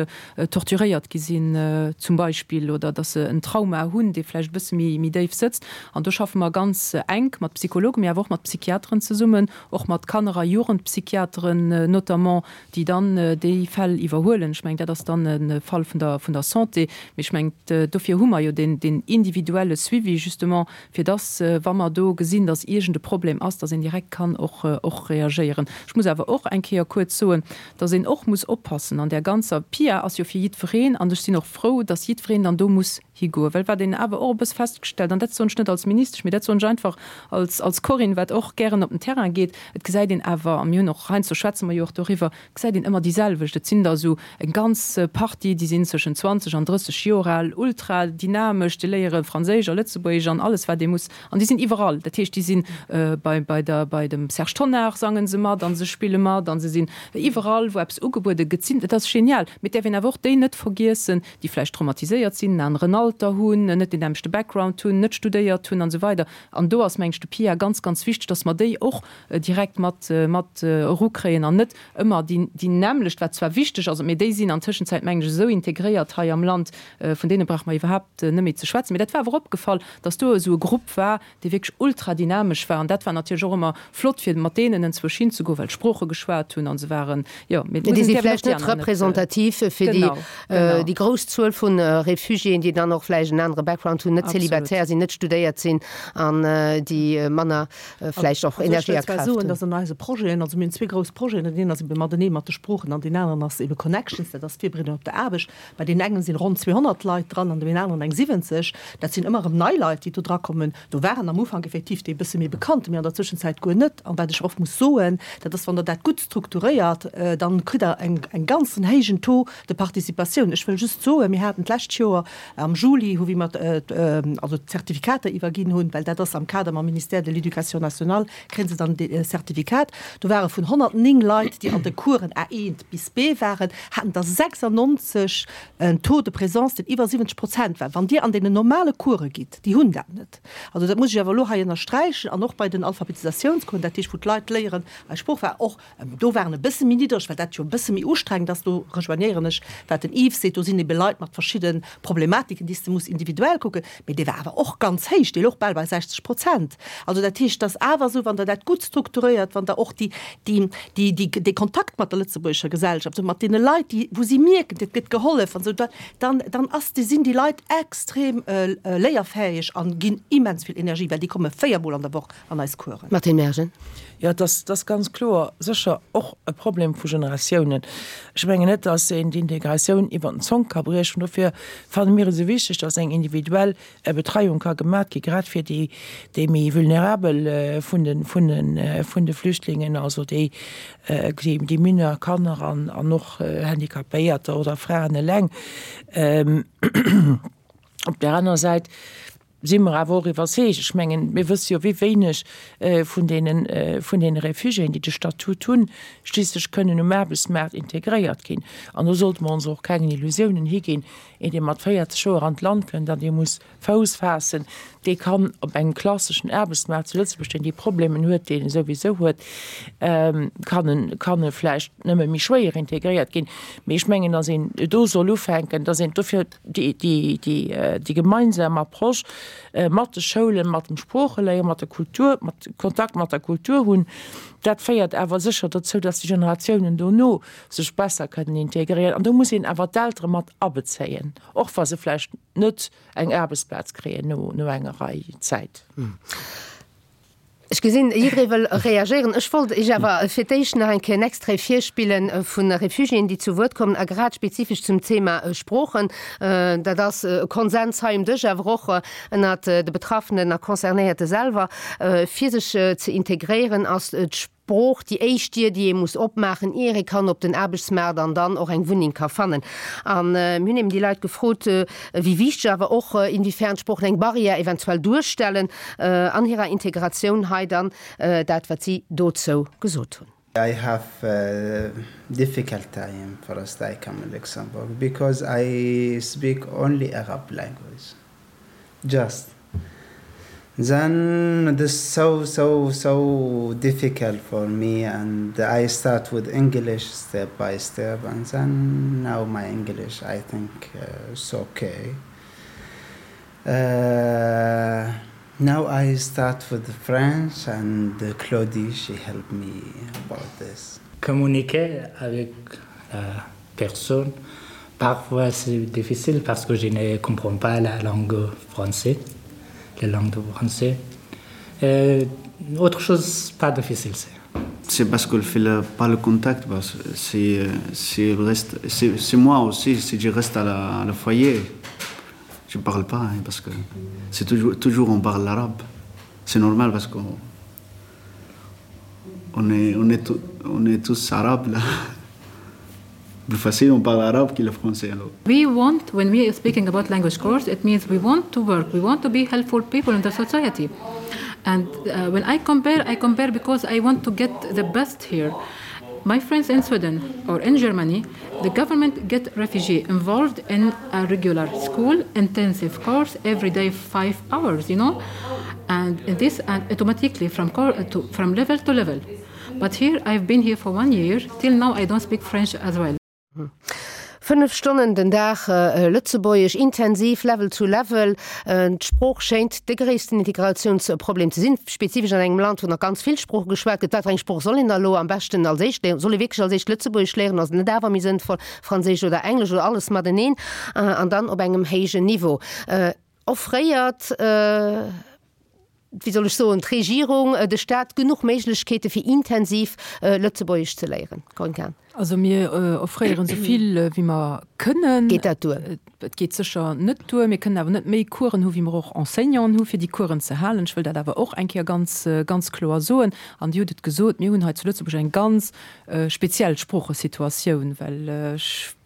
torturéiert gi sinn zum Beispill oder dass se en Trauma hunn, dee vläicht e bësse méi, méi déif sëtzt. An do schaffe mer ganz enk mat Psychologen, mee awer och mat Psychiateren zesummen, och mat Kanner a Jugendpsychiateren notamment, déi dann déi Fäll iwwerhuelen. Ech mengen, dat ass dann e Fall vun der, vun der Santé. Mee ech mengen, dofir hu mer jo den, den individuelle Suivi justement, fir dass, wa mer do gesinn, dass iergend e Problem ass, dass een direkt kann och, och reagéieren. Ech muss awer och eng Kéier kuerz soen, dass een och muss oppassen an där ganzer P I A ass jo fir jiddwereen an ech sinn och frou, dass jiddwereen dann do muss higoen. Well wat een awer och e bësse festgestellt, an dat soen ech net als Ministesch, mee dat soen ech einfach als, als Corinne, wat och gären op den Terrain geet, et gesäit een awer, a mir hunn och heiansdo schwätze mer jo och doriwwer, gesäit een ëmmer déi selwecht. Et sinn der esou eng ganz Partie, déi sinn zwëschen zwanzeg an drësseg Joer al, ultra dynamesch, déi léiere Franséisch a Lëtzebuergesch an alles wat ee muss, an déi sinn iwwerall. Dat heescht, déi sinn bei, bei der, bei dem Serge Tonnar sange se mat an se spille mat an se sinn iwwerall, wou eppes ugebuede gëtt, sinn, dat ass genial. Mee et däerf een awer och déi net vergiessen, déi vläicht traumatiséiert sinn, en aneren Alter hunn, net deen nämmlechte Background hunn, net studéiert hunn an esou weider. An do ass, mengen ech, de P I A ganz, ganz wichteg, dass mer déi och direkt mat, mat erukréien an net ëmmer déi, déi nämmlecht, wat zwar wichteg ass, mee déi sinn an Tëschenzäit, mengen ech, esou integréiert hei am Land, vun deene brauche mer iwwerhaapt net méi ze schwätzen. Mee dat war awer opgefall, dass do esou e Grupp war, dee wierklech ultra dynamesch war. An dat war natierlech och ëmmer flott, fir mat deenen enzwousch hinzegoen, well d'Sprooche geschwat hunn an se waren, jo, mee et Déi muss si een däerf een och vläicht déi net aner net, representativ fir déi, genau, genau. déi grouss Zuel vu Refugiéen, déi dann och vläicht en anere Background hunn, net Absolut. célibataire sinn, net studéiert sinn an déi manner vläicht och Also ech Energie wëll a zwar Kraaft soen, hunn. dass an eise Projeten, also mir hunn zwee grouss Projeten, deen een ass ebe matenee mat de Sproochen an deen aneren ass ebe Connections, dat ass d'Virbereedung op der Aarbecht. Bei deenen engen sinn ronn zweehonnert Leit dran, an deenen aneren eng siwwenzeg. Dat sinn ëmmer erëm nei Leit, déi do drakommen. Do waren am Ufank effektiv déi e bësse méi bekannte, mee an der Zwëschenzäit guer net. An wat ech oft muss soen, dat ass, wann Der dat gutt strukturéiert, dann kritt Der eng, eng ganzen héijen Taux de participatioun. Ech wëll just soen, mir haten d'lescht Joer am Juli, wou mir also d'Zertifikater iwwerginn hunn, well dat ass am Kader mam Ministère de l'Éducation nationale, kréie se dann de Zertifikat. Do ware vun honnertnéng Leit, déi an de Coursen A eent bis B waren, haten der sechsannonzeg en Taux de présence, deen iwwer siwwenzeg Prozent war. Wann Dir an deenen normale Course gitt, déi hunn dat net. Also dat muss ech awer elo hei ënnersträichen. An och bei den Alphabetisatiounscoursen, dat heescht, wou d'Leit léieren eis Sprooch, war och, do waren e bësse méi niddreg, well dat jo e bësse méi ustrengend ass. Do rejoignéieren ech, wat den Yves seet, do sinn ebe Leit mat verschidde Problematiken, déi déi s de muss individuell kucken, mee dee war awer och ganz héich, dee louch bal bei sechzeg Prozent. Also dat heescht, et ass awer esou, wann Der dat gutt strukturéiert, wann Der och déi, déi, déi, déi, dee Kontakt mat der lëtzebuergescher Gesellschaft, mat deene Leit, déi, wou si mierken, et gëtt gehollef an esou, da, dann, dann ass, sinn déi Leit extrem léierfäeg a ginn immens vill Energie, well déi komme véier Mol an der Woch an eis Coursen. Martine Mergen. Jo, et ass, et ass ganz kloer sécher och e Problem vu Generatiounen. Ech mengen net, dass een d'Integratioun iwwer den Zonk ka briechen. Dofir fanne mir et esou wichteg, dass eng individuell Betreiung ka gemat gi, grad fir déi, déi méi vulnerabel vun de, vun de, vun de Flüchtlingen, also déi, déi, déi mineur Kanner an, an och Handicapéierter oder Fraen eleng. Op där aner Säit si mer awer och iwwerzeegt, ech mengen, mir wësse jo, wéi wéineg vun deene, vun deene Réfugiéen, déi de Statut hunn, schliisslech kënnen um Aarbechtsmaart integréiert ginn. An do sollte mer ons och keng Illusiounen higinn, Een, dee mat véierzeg Joer an d'Land kënnt an dee muss Fouss faassen, dee kann op engem klasseschen Aarbechtsmaart zu Lëtzebuerg, deen déi Problemen huet, déi en souwisou huet, kann en, kann e vläicht nëmme méi schwéier integréiert ginn. Mee ech mengen, datt een do soll ufänken, datt een dofir déi, déi, déi, déi gemeinsam Approche mat de Schoulen, mat dem Sproocheléieren, mat der Kultur, mat Kontakt mat der Kultur hunn. Dat féiert awer sécher dozou, datt déi Generatiounen dono sech besser kënnen integréieren. An do muss een awer d'Eltere mat abezéien, och wa se vläicht net eng Aarbechtsplaz kréien no enger Rei Zäit. Ech gesinn, jidderee wëll reagéieren. Ech wollt Iech awer fir d'éischt nach eng Kéier en Extrait virspille vu Refugiéen, déi zu Wuert kommen, a grad spezifesch zum Thema Sproochen. Dat ass e Konsens hei um Dësch, awer och ënnert de Betraffenen a Concernéierte selwer. Fir sech ze integréieren, ass d'Sprooch déi éischt Dier, déi ee muss opmaachen, ier ee kann op den Aarbechtsmaart an dann och eng Wunneng ka fannen. A mir hunn eben déi Leit gefrot, wéi wichteg, awer och inwiefern d'Sproochen eng Barrière eventuell duerstellen an hirer Integratioun. Hei dann dat, wat si dozou gesot hunn. I have difficult time first I come in Luxembourg because I speak only Arab language just then this so so so difficult for me and I start with English step by step and then now my English I think uh, it's okay uh, now I start with the French and Claudie she helped me about this. Communiquer avec la personne parfois c'est difficile parce que je ne comprends pas la langue française la langue de français euh, autre chose pas difficile c'est c'est parce qu'on fait le, pas le contact c'est c'est reste c'est moi aussi si je reste à la, à la foyer je parle pas hein, parce que c'est toujours toujours on parle l'arabe c'est normal parce qu'on on est on est tout, on est tous arabes là plus facile on parle arabe que le français alors. We want when we are speaking about language course it means we want to work we want to be helpful people in the society and uh, when I compare I compare because I want to get the best here my friends in Sweden or in Germany the government get refugee involved in a regular school intensive course every day five hours you know and this and automatically from to from level to level but here I've been here for one year till now I don't speak French as well Fënnef Stonnen den Dag Lëtzebuergesch, intensiv, Level zu Level. D'Sprooch schéint de gréissten Integratiounsproblem ze sinn, spezifesch an engem Land, wou nach ganz vill Sprooche geschwat gëtt. Wat fir eng Sprooch soll een da elo am beschten als éischt léieren? Soll ee wierklech als éischt Lëtzebuergesch léieren? Ass et net awer méi sënnvoll, Franséisch oder Englesch oder alles mateneen an dann op engem héijen Niveau offréiert? Wéi soll ech soen, d'Regierung, de Staat genuch Méiglechkeete fir intensiv Lëtzebuergesch ze léieren? Corinne Cahen. Also mir offréieren esou vill wéi mer kënnen. Geet dat duer? Et geet sécher net duer. Mir kënnen awer net méi Coursen hu wéi mer och Enseignanten hu fir déi Coursen ze halen. Ech wëll dat awer och eng Kéier ganz, ganz kloer soen. An Dir hutt et gesot, mir hunn hei zu Lëtzebuerg eng ganz speziell Sproochesituatioun, well ech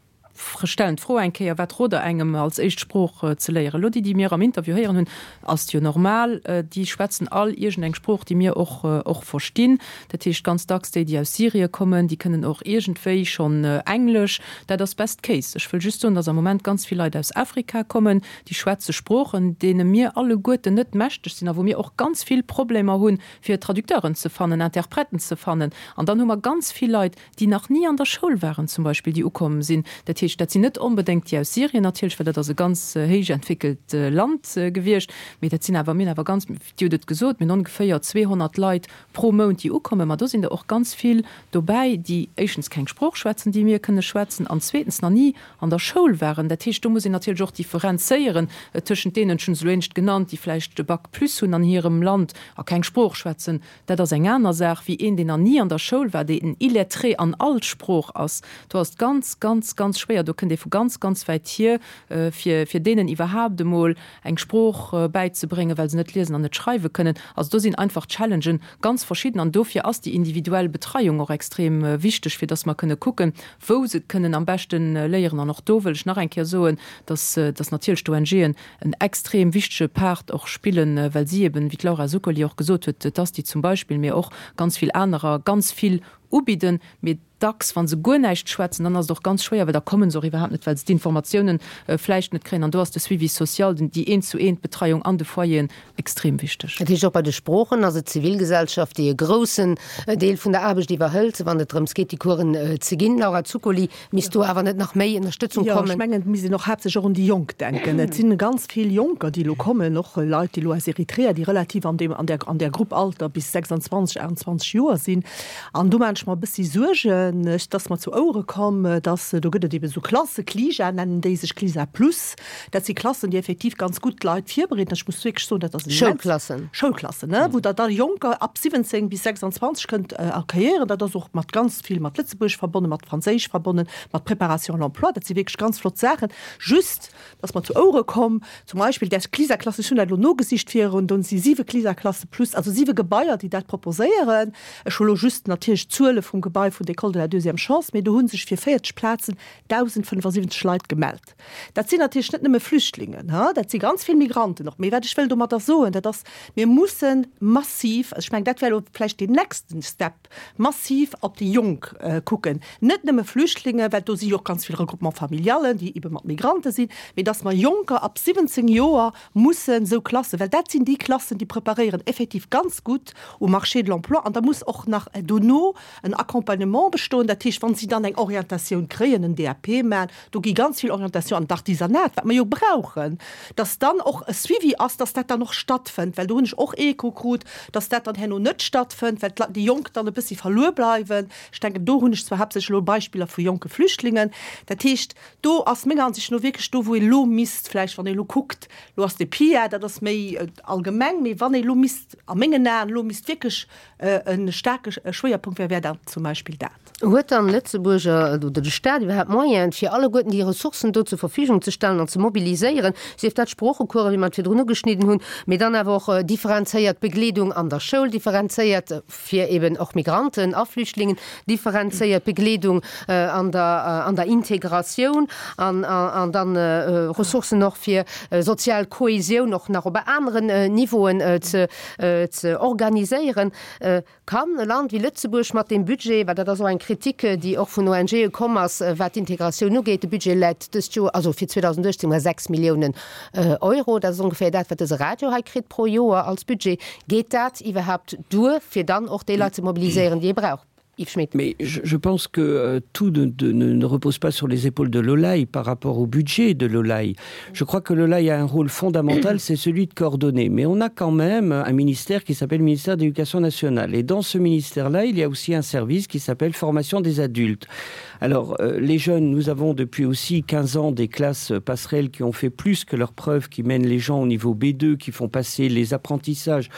stellen d'Fro eng Kéier, Wat rot Der engem als éischt Sprooch ze léieren? Elo déi, déi mir am Interview héieren hunn, ass et jo normal, déi schwätzen all iergendeng Sprooch, déi mir och och verstinn. Dat heescht ganz dacks déi, déi aus Syrie kommen, déi kënnen och iergendwéi schonn Englesch. Dat ass best case. Ech wëll just soen, datt am Moment ganz vill Leit aus Afrika kommen, déi schwätze Sproochen, deene mir alleguerten net mächteg sinn a wou mir och ganz vill Problemer hunn, fir Traducteuren ze fannen, Interprèten ze fannen. An dann hu mer ganz vill Leit, déi nach ni an der Schoul waren zum Beispill, déi ukomm sinn. Dat heescht, heescht, dat sinn net onbedéngt déi aus Syrien natierlech, well dat ass e ganz héich entwéckelt Land gewiescht, mee dat sinn awer, mir hunn awer ganz, Dir hutt et gesot, mir hunn ongeféier zweehonnert Leit pro Mount, déi ukommen. Ma do sinn der och ganz vill dobäi, déi éischtens keng Sprooch schwätzen, déi mir kënne schwätzen, an zweetens nach ni an der Schoul waren. Dat heescht, do muss een natierlech och differenzéieren tëschent deenen, ech hunn se elo éinescht genannt, déi vläicht e Bac plus hunn an hirem Land a keng Sprooch schwätzen. Dat ass eng aner Saach wéi een, deen nach ni an der Schoul war, deen en Illettré an all Sprooch ass. Do ass et ganz, ganz, ganz schwéier. Do kënnt ee vu ganz, ganz wäit hier, fir, fir deenen iwwerhaapt emol eng Sprooch bäizebréngen, well se net liesen an net schreiwe kënnen. Also do sinn einfach d'Challengen ganz verschidden an dofir ass déi individuell Betreiung och extrem wichteg, fir dass mer kënne kucken, wou se kënnen am beschte léieren. An och do wëll ech nach eng Kéier soen, dass, dass natierlech d'ONGen en extrem wichtege Part och spillen, well si eben, wéi d'Laura Zuccoli och gesot huet, d'ASTI zum Beispill, mee och ganz vill anerer, ganz vill ubidden. Mee dacks, wa se guer näischt schwätzen, dann ass et och ganz schwéier, well da komme se och iwwerhaapt net, well se d'Informatiounen vläicht net kréien. An do ass de Suivi social, den, déi Eent-zu-eent-Betreiung an de Foyeren extrem wichteg. Dat heescht, och bei de Sproochen ass et d'Zivilgesellschaft, déi e groussen Deel vun der Aarbecht iwwerhëlt, wann et drëms geet, déi Coursen ze ginn. Laura Zuccoli, Misst do awer net nach méi Ënnerstëtzung Jo, ech kommen? mengen, et misst een och haaptsächlech och un déi Jonk denken. Et si ganz vill Jonker, déi elo kommen, och Leit, déi elo aus Eritrea, déi relativ an deem, an där, an där Grupp Alter bis sechsundzwanzeg, aachtundzwanzeg Joer sinn. An do maachen ech mer e bëssi Suergen. Et ass mer zu Ouere komm, dass, do gëtt et eebe sou Klasse, CLIJA nennen déi sech, CLISA plus, dat si Klassen, déi effektiv ganz gutt d'Leit virbereeden. Ech muss wierklech soen, dat ass immens. Schoulklassen. Schoulklassen, ne, wou Der da Jonker ab siwwenzéng bis sechsundzwanzeg kënnt accueillieren. Dat ass och mat ganz vill mat Lëtzebuergesch verbonnen, mat Franséisch verbonnen, mat Préparation à l'emploi. Dat si wierklech ganz flott Saachen. Just, et ass mer zu Ouere komm, zum Beispill där CLISA-Klasse, ech hunn dat elo nogesicht virun, do si siwe CLISA-Klasse plus, also siwe Gebaier, déi dat proposéieren. Ech hu lo just natierlech d'Zuele vum Gebai vun der École de la deuxième chance, mee do hu sech fir véierzeg Plazen dausendfënnefasiwwenzeg Leit gemellt. Dat sinn natierlech net nëmme Flüchtlingen, dat si ganz vill Migranten och. Mee wat ech wëll domadder soen, dat ass, mir musse massiv, also ech mengen, dat wär elo vläicht deen nächsten Step, massiv op déi Jonk kucken, net nëmme Flüchtlinge, well do si jo och ganz vill Regroupement-familialen, déi ebe mat Migrante sinn, mee dass mer Jonker ab siwwenzéng Joer mussen esou Klassen, well dat sinn déi Klassen, déi preparéieren effektiv ganz gutt um Marché de l'emploi an da muss och nach dono en Accompagnement bestoen, dat heescht, wa si dann eng Orientatioun kréien, en D A P maachen, do gi ganz vill Orientation an d'Artisanat, wat mer jo brauchen, dass dann och e Suivi ass, dass dat dann och stattfënnt, well do hunn ech och Echo krut, dass dat dann herno net stattfënnt, well déi Jonk dann e bëssi verluer bleiwen. Ech denken, do hunn ech zwar haaptsächlech elo Beispiller vu jonke Flüchtlingen. Dat heescht, do ass menger Ansicht no wierklech do, wou ee elo misst vläicht, wann ee elo kuckt, elo ass de P I A, dat ass méi allgemeng, mee wann ee elo misst, a mengen Aen, elo misst wierklech e staarke Schwéierpunkt wär, wär dat zum Beispill dat. Huet dann Lëtzebuerg oder de Staat iwwerhaapt Moyenen, fir alleguerten déi Ressourcen do zur Verfügung ze stellen an ze mobiliséieren, sief dat Sproochecoursen, wéi mer et virdrun ugeschnidden hunn, mee dann awer och differenzéiert Begleedung an der Schoul, differenzéiert fir eben och Migranten a Flüchtlingen, differenzéiert Begleedung an der an der Integratioun an an dann Ressourcen och fir sozial Kohesioun och nach op aneren Niveauen ze ze organiséieren? Kann e Land wéi Lëtzebuerg mat deem Budget, well dat ass och eng Kritik, déi och vun O N G'e komm ass, wat d'Integratioun ugeet, de Budget läit dëst Joer, also fir zweedausendachtzéng bei sechs Milliounen Euro, dat ass ongeféier dat, wat dëse Radio hei kritt pro Joer als Budget, geet dat iwwerhaapt duer, fir dann och déi Leit ze mobiliséieren, déi ee brauch? Yves Schmidt. Mais je, je pense que euh, tout ne, de, ne, ne repose pas sur les épaules de l'O L A I par rapport au budget de l'O L A I. Je crois que l'O L A I a un rôle fondamental, c'est celui de coordonner. Mais on a quand même un ministère qui s'appelle le ministère de l'Éducation nationale. Et dans ce ministère-là, il y a aussi un service qui s'appelle formation des adultes. Alors, euh, les jeunes, nous avons depuis aussi quinze ans des classes passerelles qui ont fait plus que leurs preuves, qui mènent les gens au niveau B deux, qui font passer les apprentissages.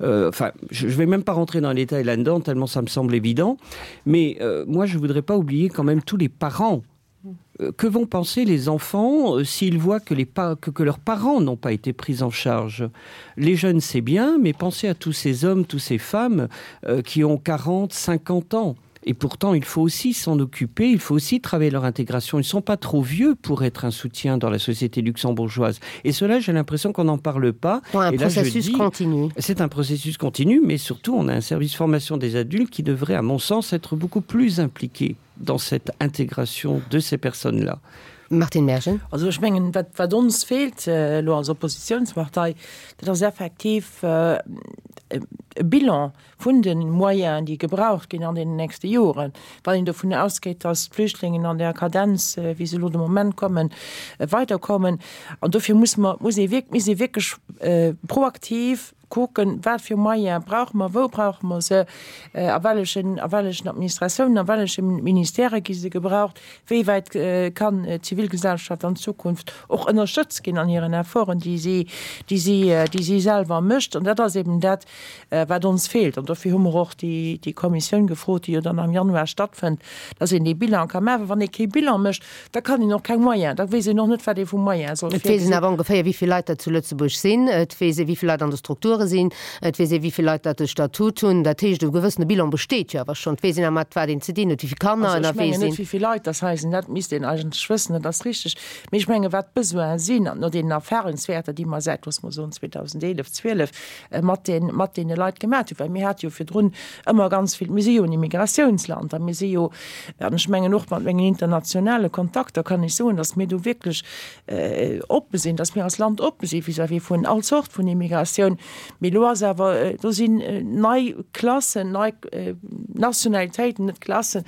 Euh, enfin, je ne vais même pas rentrer dans les détails là-dedans, tellement ça me semble évident. Mais euh, moi, je voudrais pas oublier quand même tous les parents. Euh, que vont penser les enfants euh, s'ils voient que, les pa que, que leurs parents n'ont pas été pris en charge? Les jeunes, c'est bien, mais pensez à tous ces hommes, toutes ces femmes euh, qui ont quarante, cinquante ans. Et pourtant, il faut aussi s'en occuper, il faut aussi travailler leur intégration. Ils ne sont pas trop vieux pour être un soutien dans la société luxembourgeoise. Et cela, j'ai l'impression qu'on n'en parle pas. Ouais, un Et là, je processus dis, continu. C'est un processus continu, mais surtout, on a un service formation des adultes qui devrait, à mon sens, être beaucoup plus impliqué dans cette intégration de ces personnes-là. Martine Mergen. Also ech mengen, wat, wat ons feelt äh, lo als Oppositionspartei, dat ass effektiv äh, e Bilan vun de Moyenen, déi gebraucht ginn an den nächste Joren, wann een dovun ausgeet, dass d'Flüchtlingen an där Kadenz, wéi se elo de Moment kommen, weiderkommen. An dofir muss mer, muss ee wierk, misst ee wierklech proaktiv kucken, wat fir Moyene brauche mer, wou brauche mer se, a wellechen, a wellechen Administratiounen, a welleche Ministèrë gi se gebraucht, wéi wäit kann d'Zivilgesellschaft an Zukunft och ënnerstëtzt ginn an hiren Efforten, déi si, déi si, déi si selwer mécht. An dat ass eben dat, wat ons feelt. An dofir hu mer och déi, déi Kommissioun gefrot, déi jo dann am Januar stattfënnt, dass een dee Bilan ka maachen. Well wann ee kee Bilan mécht, da kann een och keng Moyens, da weess een och net, wat ee vu Moyens soll Et weess een virgesinn. awer ongeféier, wéi vill Leit dat zu Lëtzebuerg sinn. Et weess ee, wéi vill Leit an de Strukture sinn. Et weess ee, wéi vill Leit dat de Statut hunn. Dat heescht, e gewëssene Bilan besteet jo awer schonn. Et weess een awer, mat wat een ze dinn huet, wéi vill Kanner Also ech ënnerwee mengen net, sinn. wéi vill Leit dat hei sinn, dat misst een eigentlech wëssen, dat ass richteg. Mee ech menge wat d'Besoine sinn, an no deenen Erfahrungswäerter, déi mer säit, loosse mer soen, zweedausendeelef, zwielef mat den, mat deene Leit gemaat hunn, well mir hate jo virdrun ëmmer ganz vill, mir si jo en Immigratiounsland a mir si jo, an ech mengen och mat mengen internationale Kontakter kann ech soen, datt mir do wierklech oppe sinn, datt mir als Land oppe si vis-à-vis vun all Zort vun Immigratioun. Mee elo ass awer, do sinn nei Klassen, nei Nationalitéiten, net Klassen,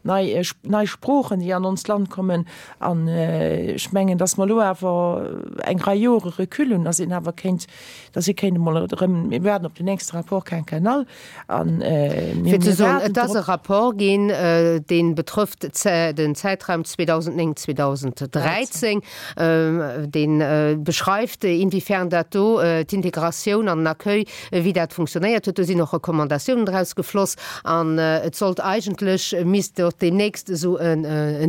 nei, nei Sproochen, déi an onst Land kommen. An ech mengen, datt mer elo awer eng Rei Jore Recul hunn, datt een awer kéint, datt ee kéint emol erëm, mir waarden op den nächste Rapport quinquennal an mir Fir ze soen, waarden et ass e drop. Rapport ginn, dee betrëfft den Zäitraum zweedausendnéng, zweedausendräizéng, dee beschreift, inwiefern dat do d'Integratioun an den Accueil, wéi dat funktionéiert huet. Do sinn och Recommandatiounen draus gefloss an et sollt eigentlech, misst och deemnächst esou en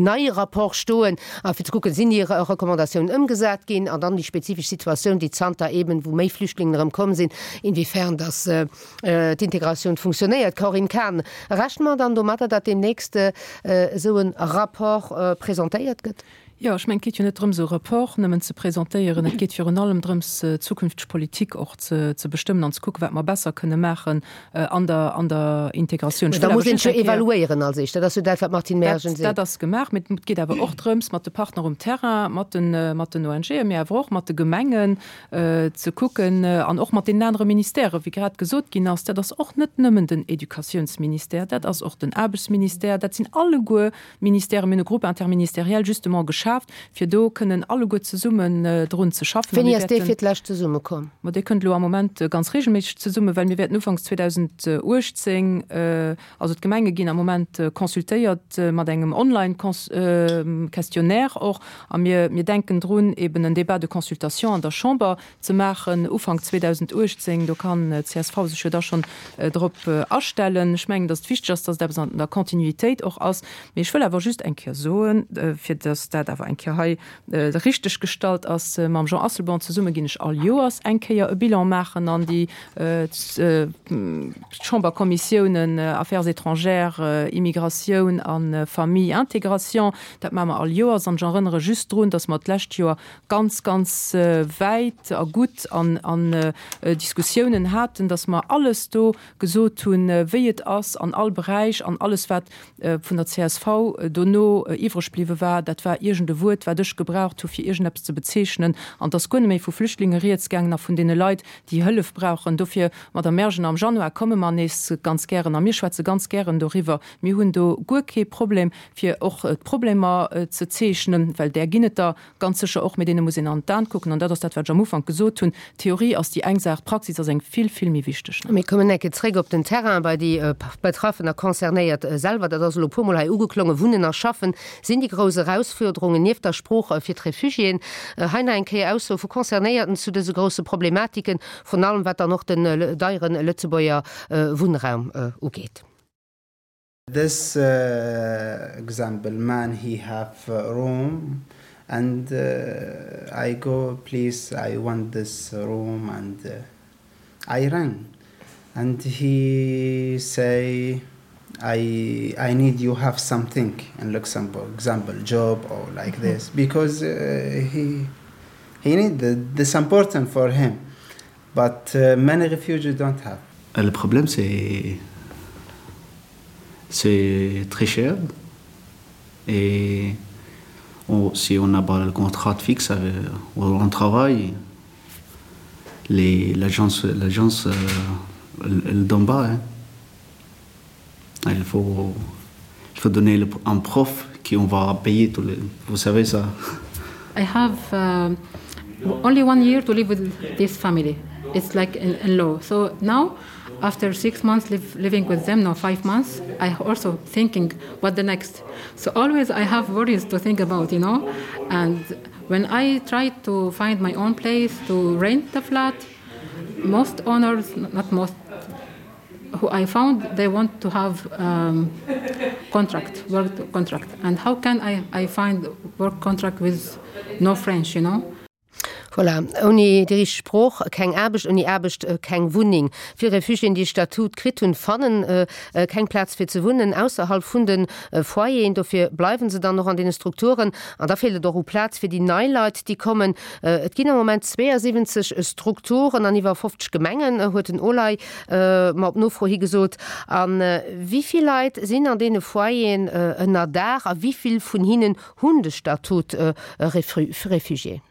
neie Rapport stoen, a fir ze kucken, sinn déi Recommandatiounen ëmgesat ginn an dann déi spezifesch Situatioun, déi zanter eeben, wou méi Flüchtlingen erëm komm sinn, inwiefern dass d'Integratioun funktionéiert. Corinne Cahen, rechne mer dann domatter, datt deemnächst esou e Rapport presentéiert gëtt? Jo, ech mengen, et geet jo net drëms, e Rapport nëmmen ze presentéieren, et geet virun allem drëms, d'zukünfteg Politik och ze ze bestëmmen an ze kucken, wat mer besser kënne maachen an der an der Integratioun. Ech Da wëll awer muss een just jo eng Kéier. evaluéieren als éischt. Dat ass jo dat, wat d'Martine Dat, Mergen seet. dat ass gemaach, mee et geet awer och drëms, mat de Partner um Terrain, mat den mat den O N G'en, mee awer och mat de Gemengen ze kucken an och mat deenen anere Ministèren, wéi grad gesot ginn ass, dat ass och net nëmmen den Educatiounsministère, dat ass och den Aarbechtsministère, dat sinn alleguer Ministèren. Mir hunn e Groupe interministériel justement geschaaft, fir do kënnen alleguer zesummen drun ze schaffen. A Wéini mir ass dee wäerten. fir d'lescht zesummekomm? Ma dee kënnt elo am Moment ganz regelméisseg zesummen, well mir wäerten ufanks zweedausendachtzéng, also d'Gemenge ginn am Moment consultéiert mat engem Online-Questionnaire och, a mir, mir denken drun, eben en Débat de consultation an der Chamber ze maachen Ufank zweedausendachtzéng. Do kann d'C S V sech jo da schonn drop astellen. Ech mengen, datt et wichteg ass, datt et eppes an der Kontinuitéit och ass. Mee ech wëll awer just eng Kéier soen, fir datt dat awer eng Kéier hei richteg gestallt ass, Mam Jean Asselborn zesumme ginn ech all Joers eng Kéier e Bilan maachen an déi Chamberkommissiounen Affaires étrangères, Immigratioun a Famille, Intégration. Dat maache mer all Joers. An ech erënnere just drun, datt mer d'lescht Joer ganz, ganz wäit a gutt an an Diskussiounen haten, datt mer alles do gesot hunn, wéi et ass an all Beräich, an alles wat vun der C S V dono iwwreg bliwwe war, dat war iergend e Wuert, wat ech gebraucht hu fir iergendeppes ze bezeechnen, an et ass guer net méi vu Flüchtlinge rieds gaangen a vun deene Leit, déi Hëllef brauchen. Dofir, Madame Mergen, am Januar komme mer nees ganz gären a mir schwätze ganz gären doriwwer. Mir hunn do guer kee Problem, fir och d'Problemer ze zeechnen, well där ginn et der ganz sécher och, mee deene muss een an d'Aen kucken. An dat ass dat, wat ech am Ufank gesot hunn, D'Theorie ass déi eng Saach, d'Praxis ass eng vill, vill méi wichteg. Mir kommen enke zréck op den Terrain, bei déi Betraffen a Concernéiert selwer. Dat ass elo e puermol hei ugeklongen. Wunnen a Schaffen sinn déi grouss Erausfuerderungen nieft der Sprooch fir d'Refugiéen. Hei nach eng Kéier Aussoe vu Concernéierten zu dëse grousse Problematiken, vrun allem wat dann och den deiere Lëtzebuerger Wunnraum ugeet. This example man he have room and I go please I want this room and I run and he say I I need you have something in Luxembourg example job or like this because he he need this important for him but many refugees don't have. Le problème c'est c'est très cher et on, si on n'a pas le contrat fixe avec, on travaille les l'agence l'agence euh, Elle, elle donne pas. Hein. Il faut, il faut donner le, un prof qui on va payer tout les, vous savez ça. I have uh, only one year to live with this family. It's like in, in law. So now, after six months live, living with them, now five months, I also thinking what the next. So always I have worries to think about, you know. And when I try to find my own place to rent the flat, most owners, not most, who I found they want to have um, contract work contract and how can I, I find work contract with no French you know Voilà, ouni déi richteg Sprooch keng Aarbecht, ouni Aarbecht keng Wunneng. Vill Refugiéen, déi Statut kritt hunn, fannen keng Plaz fir ze wunnen ausserhalb vun de Foyeren. Dofir bleiwen se dann och an deene Strukturen. An da feelt et och u Plaz fir déi nei Leit, déi kommen. Et ginn am Moment zweeënsiwwenzeg Strukturen an iwwer fofzeg Gemengen, huet den Olay mer op Nofro hi gesot. A wéi vill Leit sinn an deene Foyeren ënnerdaach a wéi vill vun hinnen hunn de Statut Refugié?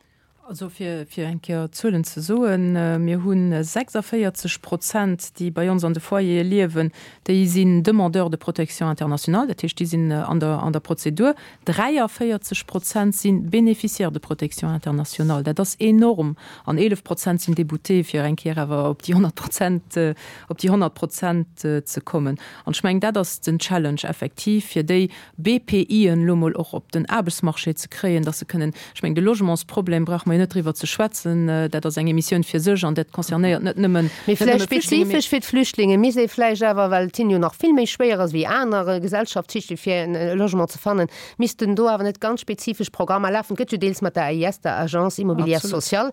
Also fir, fir eng Kéier Zuelen ze soen, mir hu sechsundvierzig Prozent, déi bei ons an de Foyere liewen, déi sinn Demandeurs de protection internationale, dat heescht, déi sinn an der, an der Prozedur. Dräiavéierzeg Prozent sinn Bénéficiaires de protection internationale, dat ass enorm. An eelef Prozent sinn Déboutés, fir eng Kéier awer op déi honnert Prozent, op déi honnert Prozent ze kommen. An ech mengen, dat ass den Challenge effektiv, fir déi B P Ien elo mol och op den Aarbechtsmarché ze kréien, dass se kënnen, ech mengen, de Logementsproblem brauche mer jo net driwwer ze schwätzen, dat ass eng Emissioun fir sech an dat concernéiert net nëmmen, Mee net nëmme vläicht Flüchtlinge, mee spezifesch fir d'Flüchtlinge misst ee vläicht awer, well et hinnen jo nach vill méi schwéier ass wéi aner Gesellschaftsschichte fir en Logement ze fannen, missten do awer net ganz spezifesch Programmer lafen. Et gëtt jo deels mat der A I S, der Agence Immobilière Absolut. Sociale.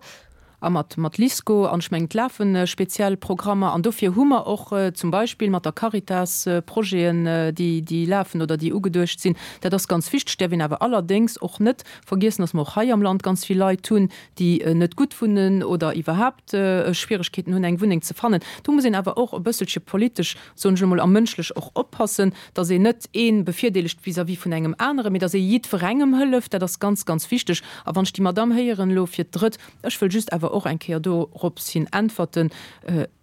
A mat, mat LISKO, an ech mengen, et lafen speziell Programmer, an dofir hu mer och zum Beispill mat der Caritas Projeten, déi, déi lafen oder déi ugeduecht sinn. Dat ass ganz wichteg. Däerf een awer allerdéngs och net vergiessen, dass mer och hei am Land ganz vill Leit hunn, déi net gutt wunnen oder iwwerhaapt Schwieregkeeten hunn, eng Wunneng ze fannen. Do muss een awer och e bësselche politesch, soen ech emol, a mënschlech och oppassen, dass een net ee bevirdeelegt vis-à-vis vun engem aneren, mee dass ee jiddwerengem hëlleft. Dat ass ganz, ganz wichteg. A wann ech déi Madamm héieren elo fir d'Drëtt, ech wëll just awer och eng Kéier dorops hin äntwerten,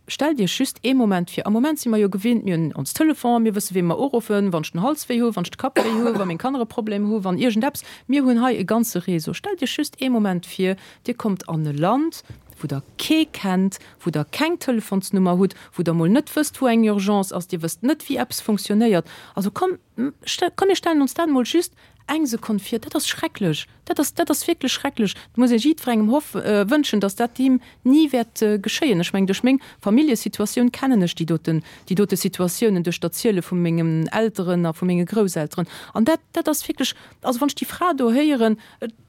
stellt Iech just ee Moment vir, am Moment si mer jo gewinnt, mir hunn ons Telefon, mir wësse wee mer uruffen, wann ech den Hals wéi hu, wann ech de Kapp wéi hu, wa meng Kanner e Problem hu, wann iergendeppes. Mir hunn hei e ganze Réseau. Stellt Iech just ee Moment vir, Dir kommt an e Land, wou Der kee kennt, wou Der keng Telefonsnummer hutt, wou Der mol net wësst, wou eng Urgence ass, Dir wësst net, wéi eppes funktionéiert. Also komm, komm, mir stellen ons dat mol just eng Sekonn vir. Dat ass schrecklech. Dat ass, dat ass wierklech schrecklech. Et muss ee jiddwerengem hoff, wënschen, dass dat him ni wäert geschéien. Ech mengen, duerch meng Familljesituatioun kennen ech déi doten, déi dote Situatiounen, duerch d'Erziele vu mengen Elteren a vu menge Grousselteren. An dat, dat ass wierklech, also wann ech déi Fra do héieren,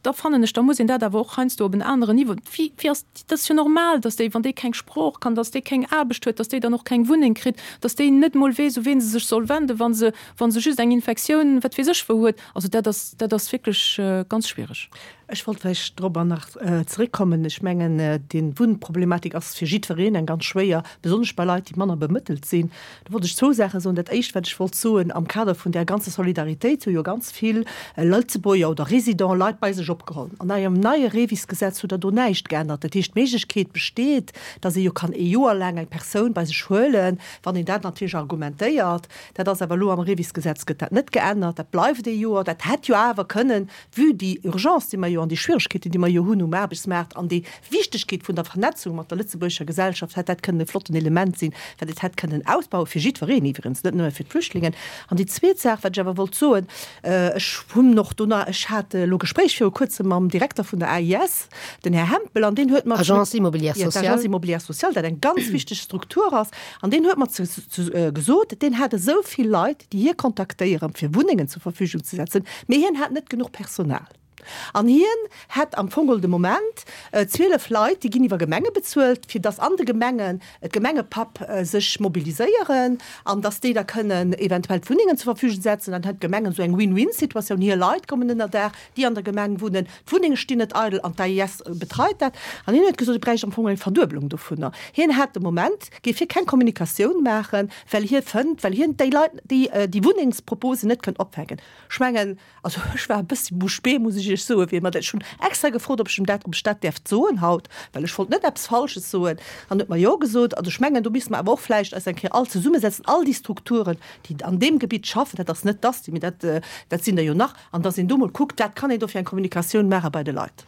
da fannen ech, da muss een dat awer och heiansdo op en aneren Niveau, wéi, wéi ass, dat ass jo normal, dass déi, wann déi keng Sprooch kann, dass déi keng Aarbecht huet, dass déi dann och keng Wunneng kritt, dass déi net mol weess, u ween se sech soll wenden, wa se, wa se just eng Infektioun, wat weess ech wou huet. Also dat ass, dat ass wierklech ganz schwierig. Ech wollt vläicht dorobber nach zeréckkommen. Ech mengen, déi Wunnproblematik ass fir jiddwereen eng ganz schwéier, besonnesch bei Leit, déi manner bemëttelt sinn. Do wollt ech zwou Saache soen. Dat Éischt, wat ech wollt soen, am Kader vun där ganzer Solidaritéit hu jo ganz vill Lëtzebuerger oder Résidents Leit bei sech opgeholl. An engem neie Revis-Gesetz huet der do näischt geännert. Dat heescht, d'Méiglechkeet besteet, datt ee jo kann ee Joer laang eng Persoun bei sech huelen, wann een dat natierlech argumentéiert. Dat ass awer elo am Revis-Gesetz gëtt dat net geännert. Dat bleift ee Joer. Dat hätt jo awer kënnen, vue déi Urgence, déi mer jo an déi Schwieregkeeten, déi mer jo hunn um Aarbechtsmaart an déi Wichtegkeet vun der Vernetzung mat der lëtzebuergescher Gesellschaft, hätt dat kënnen e flotten Element sinn, wat et hätt kënnen ausbauen, fir jiddwereen iwwerens, net nëmme fir d'Flüchtlingen. An déi zweet Saach, wat ech awer wollt soen, ech hunn och do nach, ech hat elo Gespréich viru kuerzem mam Direkter vun der A I S, den Här Hempel, an deen huet mer Agence Immobilière Ja, Sociale. d'Agence Immobilière Sociale, dat eng ganz wichteg Struktur ass, an deen huet mer zu, zu, äh, gesot, deen hat esou vill Leit, déi hie kontaktéieren, fir Wunnengen zur Verfügung ze setzen, mee hien hat net genuch Personal. An hien hat am Fong de Moment, äh, zwielef Leit, déi ginn iwwer Gemenge bezuelt, fir dass an de Gemengen d'Gemengepapp, äh, sech mobiliséieren an dass déi da kënnen eventuell d'Wunnengen zur Verfügung setzen. Dann hat d'Gemengen esou eng Win-Win-Situatioun. Hir Leit kommen ënnerdaach, déi an der Gemeng wunnen, d'Wunnenge stinn net eidel an d'A I S betreit dat. An hien huet gesot, et bräicht am Fong eng Verduebelung dovunner. Hien hat de Moment, géif hie keng Kommunikatioun maachen, well hie fënnt, well hien déi Leit, déi, äh, déi Wunnengsproposen net kënnt opfänken. Ech mengen, also ech war e bëssi bouche bée, muss ech ech Iech soen, wien mer dat, ech hunn extra gefrot, ob ech em dat, ob ech dat däerft soen haut, well ech wollt net eppes Falsches soen, an huet mer jo gesot. Also ech mengen, do misste mer awer och vläicht eis eng Kéier all zesummesetzen, all déi Strukturen, déi an deem Gebitt schaffen, dat ass net d'ASTI, mee dat, dat sinn der jo nach, an dass een do mol kuckt, wat kann een do fir eng Kommunikatioun maache bei de Leit.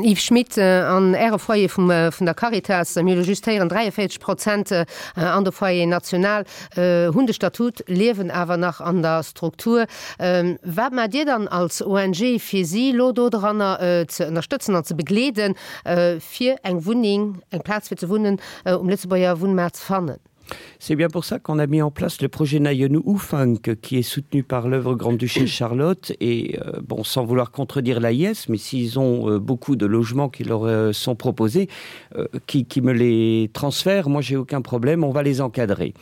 Yves Schmidt, An Äre Foyer vum, vun der Caritas, mir hu lo just héieren, dräiavéierzeg Prozent an de Foyer national hunn de Statut, liewen awer nach an der Struktur. Wat maacht Dir dann als O N G, fir si elo dodranner ze ënnerstëtzen an ze begleeden, fir eng Wunneng, eng Plaz fir ze wunnen um Lëtzebuerger Wunnmaart ze fannen? C'est bien pour ça qu'on a mis en place le projet Nayenou Oufunk qui est soutenu par l'œuvre Grande-Duchesse Charlotte et euh, bon sans vouloir contredire l'A I S, mais s'ils ont euh, beaucoup de logements qui leur euh, sont proposés euh, qui, qui me les transfèrent, moi j'ai aucun problème, on va les encadrer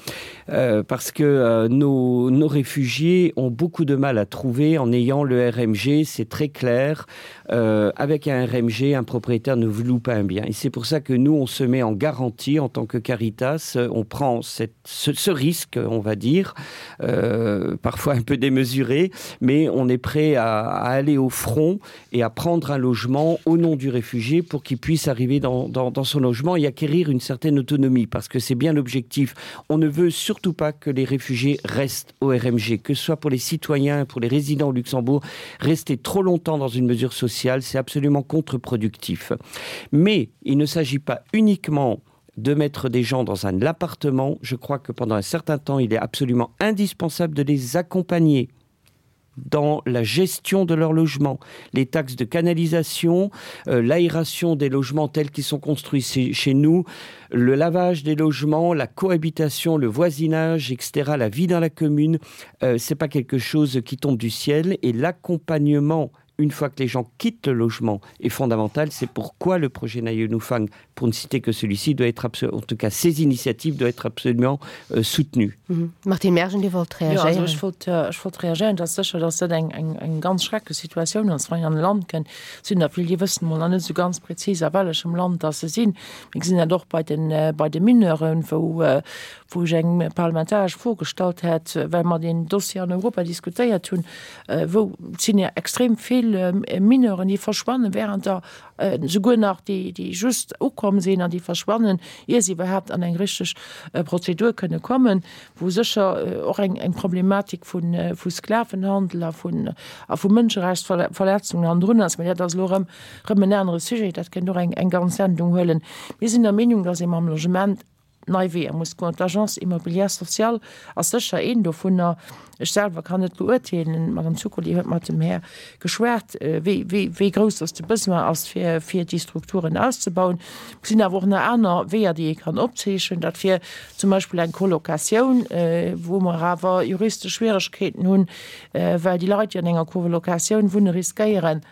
euh, parce que euh, nos, nos réfugiés ont beaucoup de mal à trouver en ayant le R M G, c'est très clair euh, avec un R M G, un propriétaire ne vous loue pas un bien et c'est pour ça que nous on se met en garantie en tant que Caritas, on prend cette, ce, ce risque, on va dire, euh, parfois un peu démesuré, mais on est prêt à, à aller au front et à prendre un logement au nom du réfugié pour qu'il puisse arriver dans, dans, dans son logement et acquérir une certaine autonomie, parce que c'est bien l'objectif. On ne veut surtout pas que les réfugiés restent au R M G, que ce soit pour les citoyens, pour les résidents au Luxembourg, rester trop longtemps dans une mesure sociale, c'est absolument contre-productif. Mais il ne s'agit pas uniquement de mettre des gens dans un appartement, je crois que pendant un certain temps, il est absolument indispensable de les accompagner dans la gestion de leur logement, les taxes de canalisation, euh, l'aération des logements tels qu'ils sont construits chez nous, le lavage des logements, la cohabitation, le voisinage, et cetera, la vie dans la commune, euh, c'est pas quelque chose qui tombe du ciel et l'accompagnement une fois que les gens quittent le logement est fondamental. C'est pourquoi le projet Nayonoufang, pour ne citer que celui-ci, doit être en tout cas ces initiatives doivent être absolument euh, soutenues. Mhm. Martine Mergen, Dir wollt reagéieren. Ja, also ech wollt, äh, ech wollt reagéieren, dass sécher, dass dat eng, eng, eng ganz schrecklech Situatioun ass, wann een an e Land kënnt, sinn der vill, déi wëssen mol nach net sou ganz präzis a wellechem Land dass se sinn. Mir gesinn dat och bei den, äh, bei de Mineuren, wou, äh, wou ech eng parlamentaresch Fro gestallt hat, well mer den Dossier an Europa diskutéiert hunn, äh, wou sinn ja extrem vill äh, Mineuren, déi verschwannen während der äh, souguer nach déi, déi just ukomm sinn an déi verschwannen, ier se iwwerhaapt an eng richteg äh, Prozedur kënne kommen, wou sécher äh, och eng, eng Problematik vun, äh, vu Sklavenhandel a vun, a vu Mënscherechtsverletzungen an drun ass, dat ass lo rëm, rëm en anere Sujet, dat kéint och eng, eng ganz Sendung huelen. Mir sinn der Meenung, dass ee mam Logement nei Weeër muss goen. D'Agence immobilière sociale ass sécher een dovunner. Ech selwer kann net beurteelen, d'Madame Zuccoli huet mat dem Här geschwat, wéi, wéi, wéi grouss dass de Besoin ass, fir, fir déi Strukturen auszebauen. Et sinn awer och nach aner Weeër, déi ee kann opzeechnen. Dat wier zum Beispill eng Colocatioun, wou mer awer juristesch Schwieregkeeten hunn, well déi Leit, déi an enger Colocatioun wunne, riskéieren,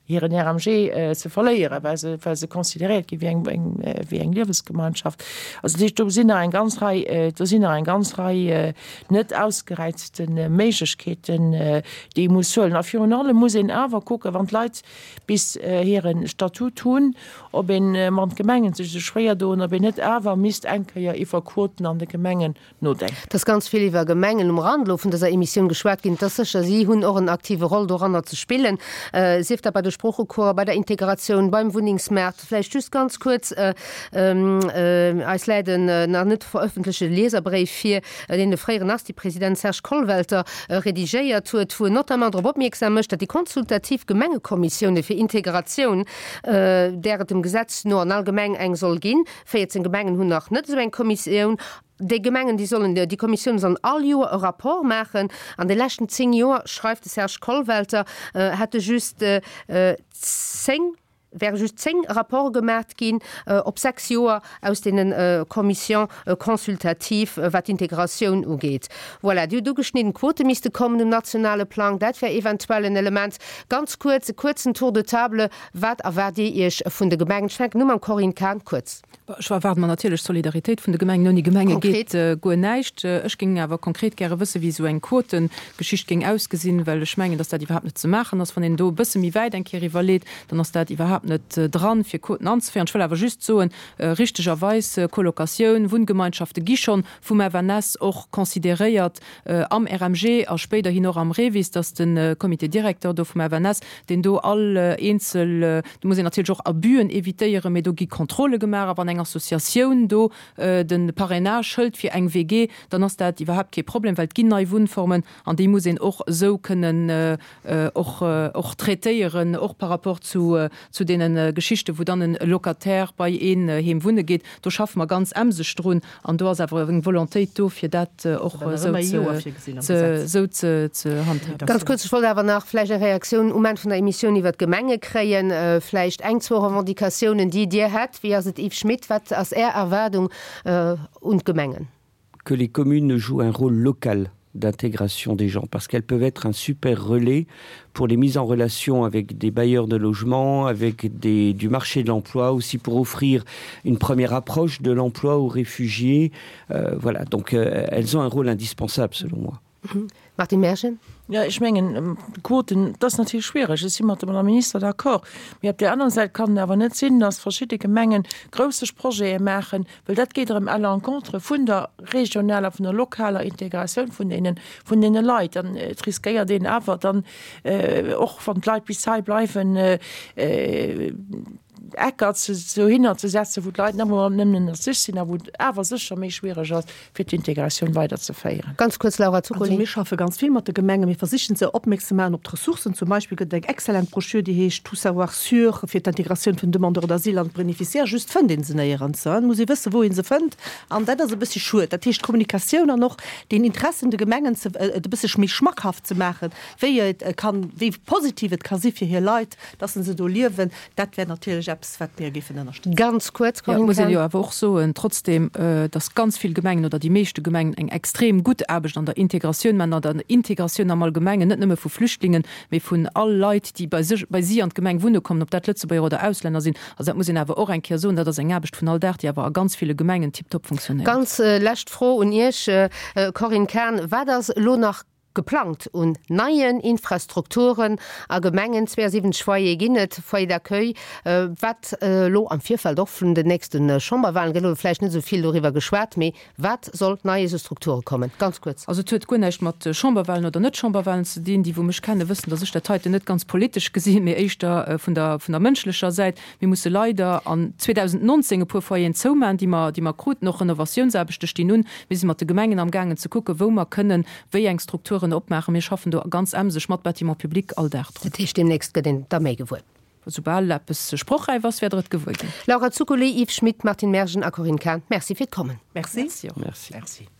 hiren R M G äh, ze verléieren, well se, well se consideréiert gi wéi eng, eng, wéi eng Liewensgemeinschaft. Also do sinn nach eng ganz Rei, äh, do sinn nach eng ganz Rei äh, net ausgereizten äh, Méiglechkeeten, äh, déi ee muss huelen. A virun allem muss een awer kucken, wann d'Leit bis äh, hiren Statut hunn, ob een äh, wann d'Gemengen sech sou schwéier doen, ob een net awer misst eng Kéier iwwer Quoten an de Gemengen nodenken. Et ass ganz vill iwwer Gemengen um Rand lo vun dëser Emissioun geschwat ginn. Dat ass sécher, si hunn och en aktive Roll doranner ze spillen, äh, sief dat bei de Sproochecoursen, bei der Integratioun, beim Wunnengsmaart. Vläicht just ganz kuerz, äh, äh, eis läit en äh, nach net verëffentlechte Lieserbréif vir, äh, deen de fréieren ASTI-President Serge Kollwelter äh, redigéiert huet, wou en notamment drop opmierksam mécht, datt déi konsultativ Gemengekommissioune fir Integratioun, äh, där et dem Gesetz no an all Gemeng eng soll ginn, véierzéng Gemengen hunn nach net esou eng Kommissioun, déi Gemengen, déi sollen, déi Kommissioune sollen all Joer e Rapport maachen. An de leschten zéng Joer, schreift de Serge Kollwelter, äh, hätte just äh, zéng, wäre just zéng Rapporte gemaach ginn äh, op sechs Joer aus deenen äh, Commissions äh, consultatives, äh, wat d'Integratioun ugeet. Voilà, déi ugeschnidden Quote misste kommen um nationale Plang, dat wär eventuell en Element. Ganz kuerz, e kuerzen Tour de table, wat erwaart Dir Iech vun de Gemengen? Ech fänken u mam Corinne Cahen, kuerz. Ech erwaarde mer natierlech Solidaritéit vun de Gemengen. Ouni Gemenge Konkret? geet äh, guer näischt. Ech géing awer konkret gäre wëssen, wéi esou eng Quotengeschicht géing ausgesinn, well ech mengen, dass dat iwwerhaapt net ze maachen ass. Wann een do e bësse méi wäit eng Kéier iwwerleet, dann ass dat iwwerhaapt iwwerhaapt net dran, fir Quoten anzeféieren. Ech wëll awer just soen, richtegerweis, Colocatioun, Wunngemeinschafte gi schonn vum F N S och consideréiert am R M G a spéiderhin och am REVIS, dass de Comité directeur do vum F N S, deen do all eenzel, do muss een natierlech och Abüen évitéieren, mee do gi Kontrolle gemaach a wann eng Associatioun do de Parrainage hëlt fir eng W G, dann ass dat iwwerhaapt kee Problem, well et ginn nei Wunnformen an déi muss een och esou kënnen och och traitéieren, och par rapport zu zu deene Geschichten, wou dann e Locataire bei een heem wunne geet. Do schaffe mer ganz emseg drun an do ass awer eng Volontéit do, fir dat och esou ze esou ze ze handhaben. Ganz kuerz, ech wollt awer nach vläicht eng Reaktioun um Enn vun der Emissioun iwwert d'Gemenge kréien, vläicht eng, zwou Revendicatiounen, déi Dir hätt. Wéi ass et, Yves Schmidt, wat ass Är Erwaardung un d'Gemengen? Que les communes jouent un rôle local d'intégration des gens parce qu'elles peuvent être un super relais pour les mises en relation avec des bailleurs de logement, avec des, du marché de l'emploi, aussi pour offrir une première approche de l'emploi aux réfugiés. Euh, voilà, donc euh, elles ont un rôle indispensable selon moi. Mhm. Martine Mergen? Ja, ech mengen, Quoten, dat ass natierlech schwiereg. Ech si mat der Madame Minister d'accord. Mee op där anerer Säit kann et awer net sinn, dass verschidde Gemengen grouss Projete maachen, well dat geet erëm à l'encontre vun der regionaler, vun der lokaler Integratioun vun deenen, vun deene Leit. Dann et riskéiert een awer dann och, wann d'Leit bis hei bleiwen, Ecker dohinner ze setzen, wou d'Leit nëmmen ënner sech sinn a wou et awer sécher méi schwiereg ass, fir d'Integratioun weiderzeféieren. Ganz kuerz, Laura Zuccoli. Also mir schaffe ganz vill mat de Gemengen. Mir versichen se opmierksam ze maachen op d'Ressourcen. Zum Beispill gëtt et eng exzellent Broschür, déi heescht Tout savoir sur fir d'Integratioun vun Demandeurs d'asile an d'Bénéficiaires. Just fënnt ee se néierens. Et muss ee wëssen, wou ee se fënnt. An dat ass e bëssi schued. Dat heescht, d'Kommunikatioun an och den Interessen de Gemengen ze, et e bësse méi schmackhaft ze maachen, wéi et kann, wéi positiv et ka si fir hir Leit, dass se do liewen, dat wär natierlech eppes, wat mir géifen ënnerstëtzen. Ganz kuerz, Corinne Cahen. Muss een jo awer och soen, trotzdem, dass ganz vill Gemengen oder déi meeschte Gemengen eng extrem gutt Aarbecht an der Integratioun maachen, an der Integratioun am Allgemengen, net nëmme vu Flüchtlingen, mee vun all Leit, déi bei sech, bei si an d'Gemeng wunne kommen, ob dat Lëtzebuerger oder Auslänner sinn. Also dat muss een awer och eng Kéier soen, dat ass eng Aarbecht vun all Dag, déi awer a ganz ville Gemengen tiptop funktionéiert. Ganz lescht Fro un Iech, Corinne Cahen, Wat ass elo nach geplangt un neien Infrastrukturen a Gemengen? zweeënsiwwenzeg Foyere ginn et, Foyers d'accueil, wat elo am Virfeld och vun den nächste Chamberwahlen gëtt elo vläicht net esou vill doriwwer geschwat, mee wat soll Neies u Strukture kommen? Ganz kuerz. Also et huet guer näischt mat Chamberwahlen oder net-Chamberwahlen ze dinn. Déi wou mech kennen, wëssen, datt ech dat heiten net ganz politesch gesinn, mee éischter vun der vun der mënschlecher Säit. Mir musse leider an zweedausendnonzéng e puer Foyeren zoumachen, déi mer déi mer kruten. Och Renovatiounsaarbechte stinn un. Mir si mat de Gemengen amgaangen ze kucken, wou mer kënnen wéi eng Strukturen opmaachen. Mir schaffen do ganz emseg mat Bâtiments publics all Dag drun. Dat heescht, deemnächst gëtt een da méi gewuer? Soubal eppes sprochräif ass, wäert Der et gewuer ginn. Laura Zuccoli, Yves Schmidt, Martine Mergen a Corinne Cahen, Merci fir d'Kommen. Merci. Merci och. Merci. Merci.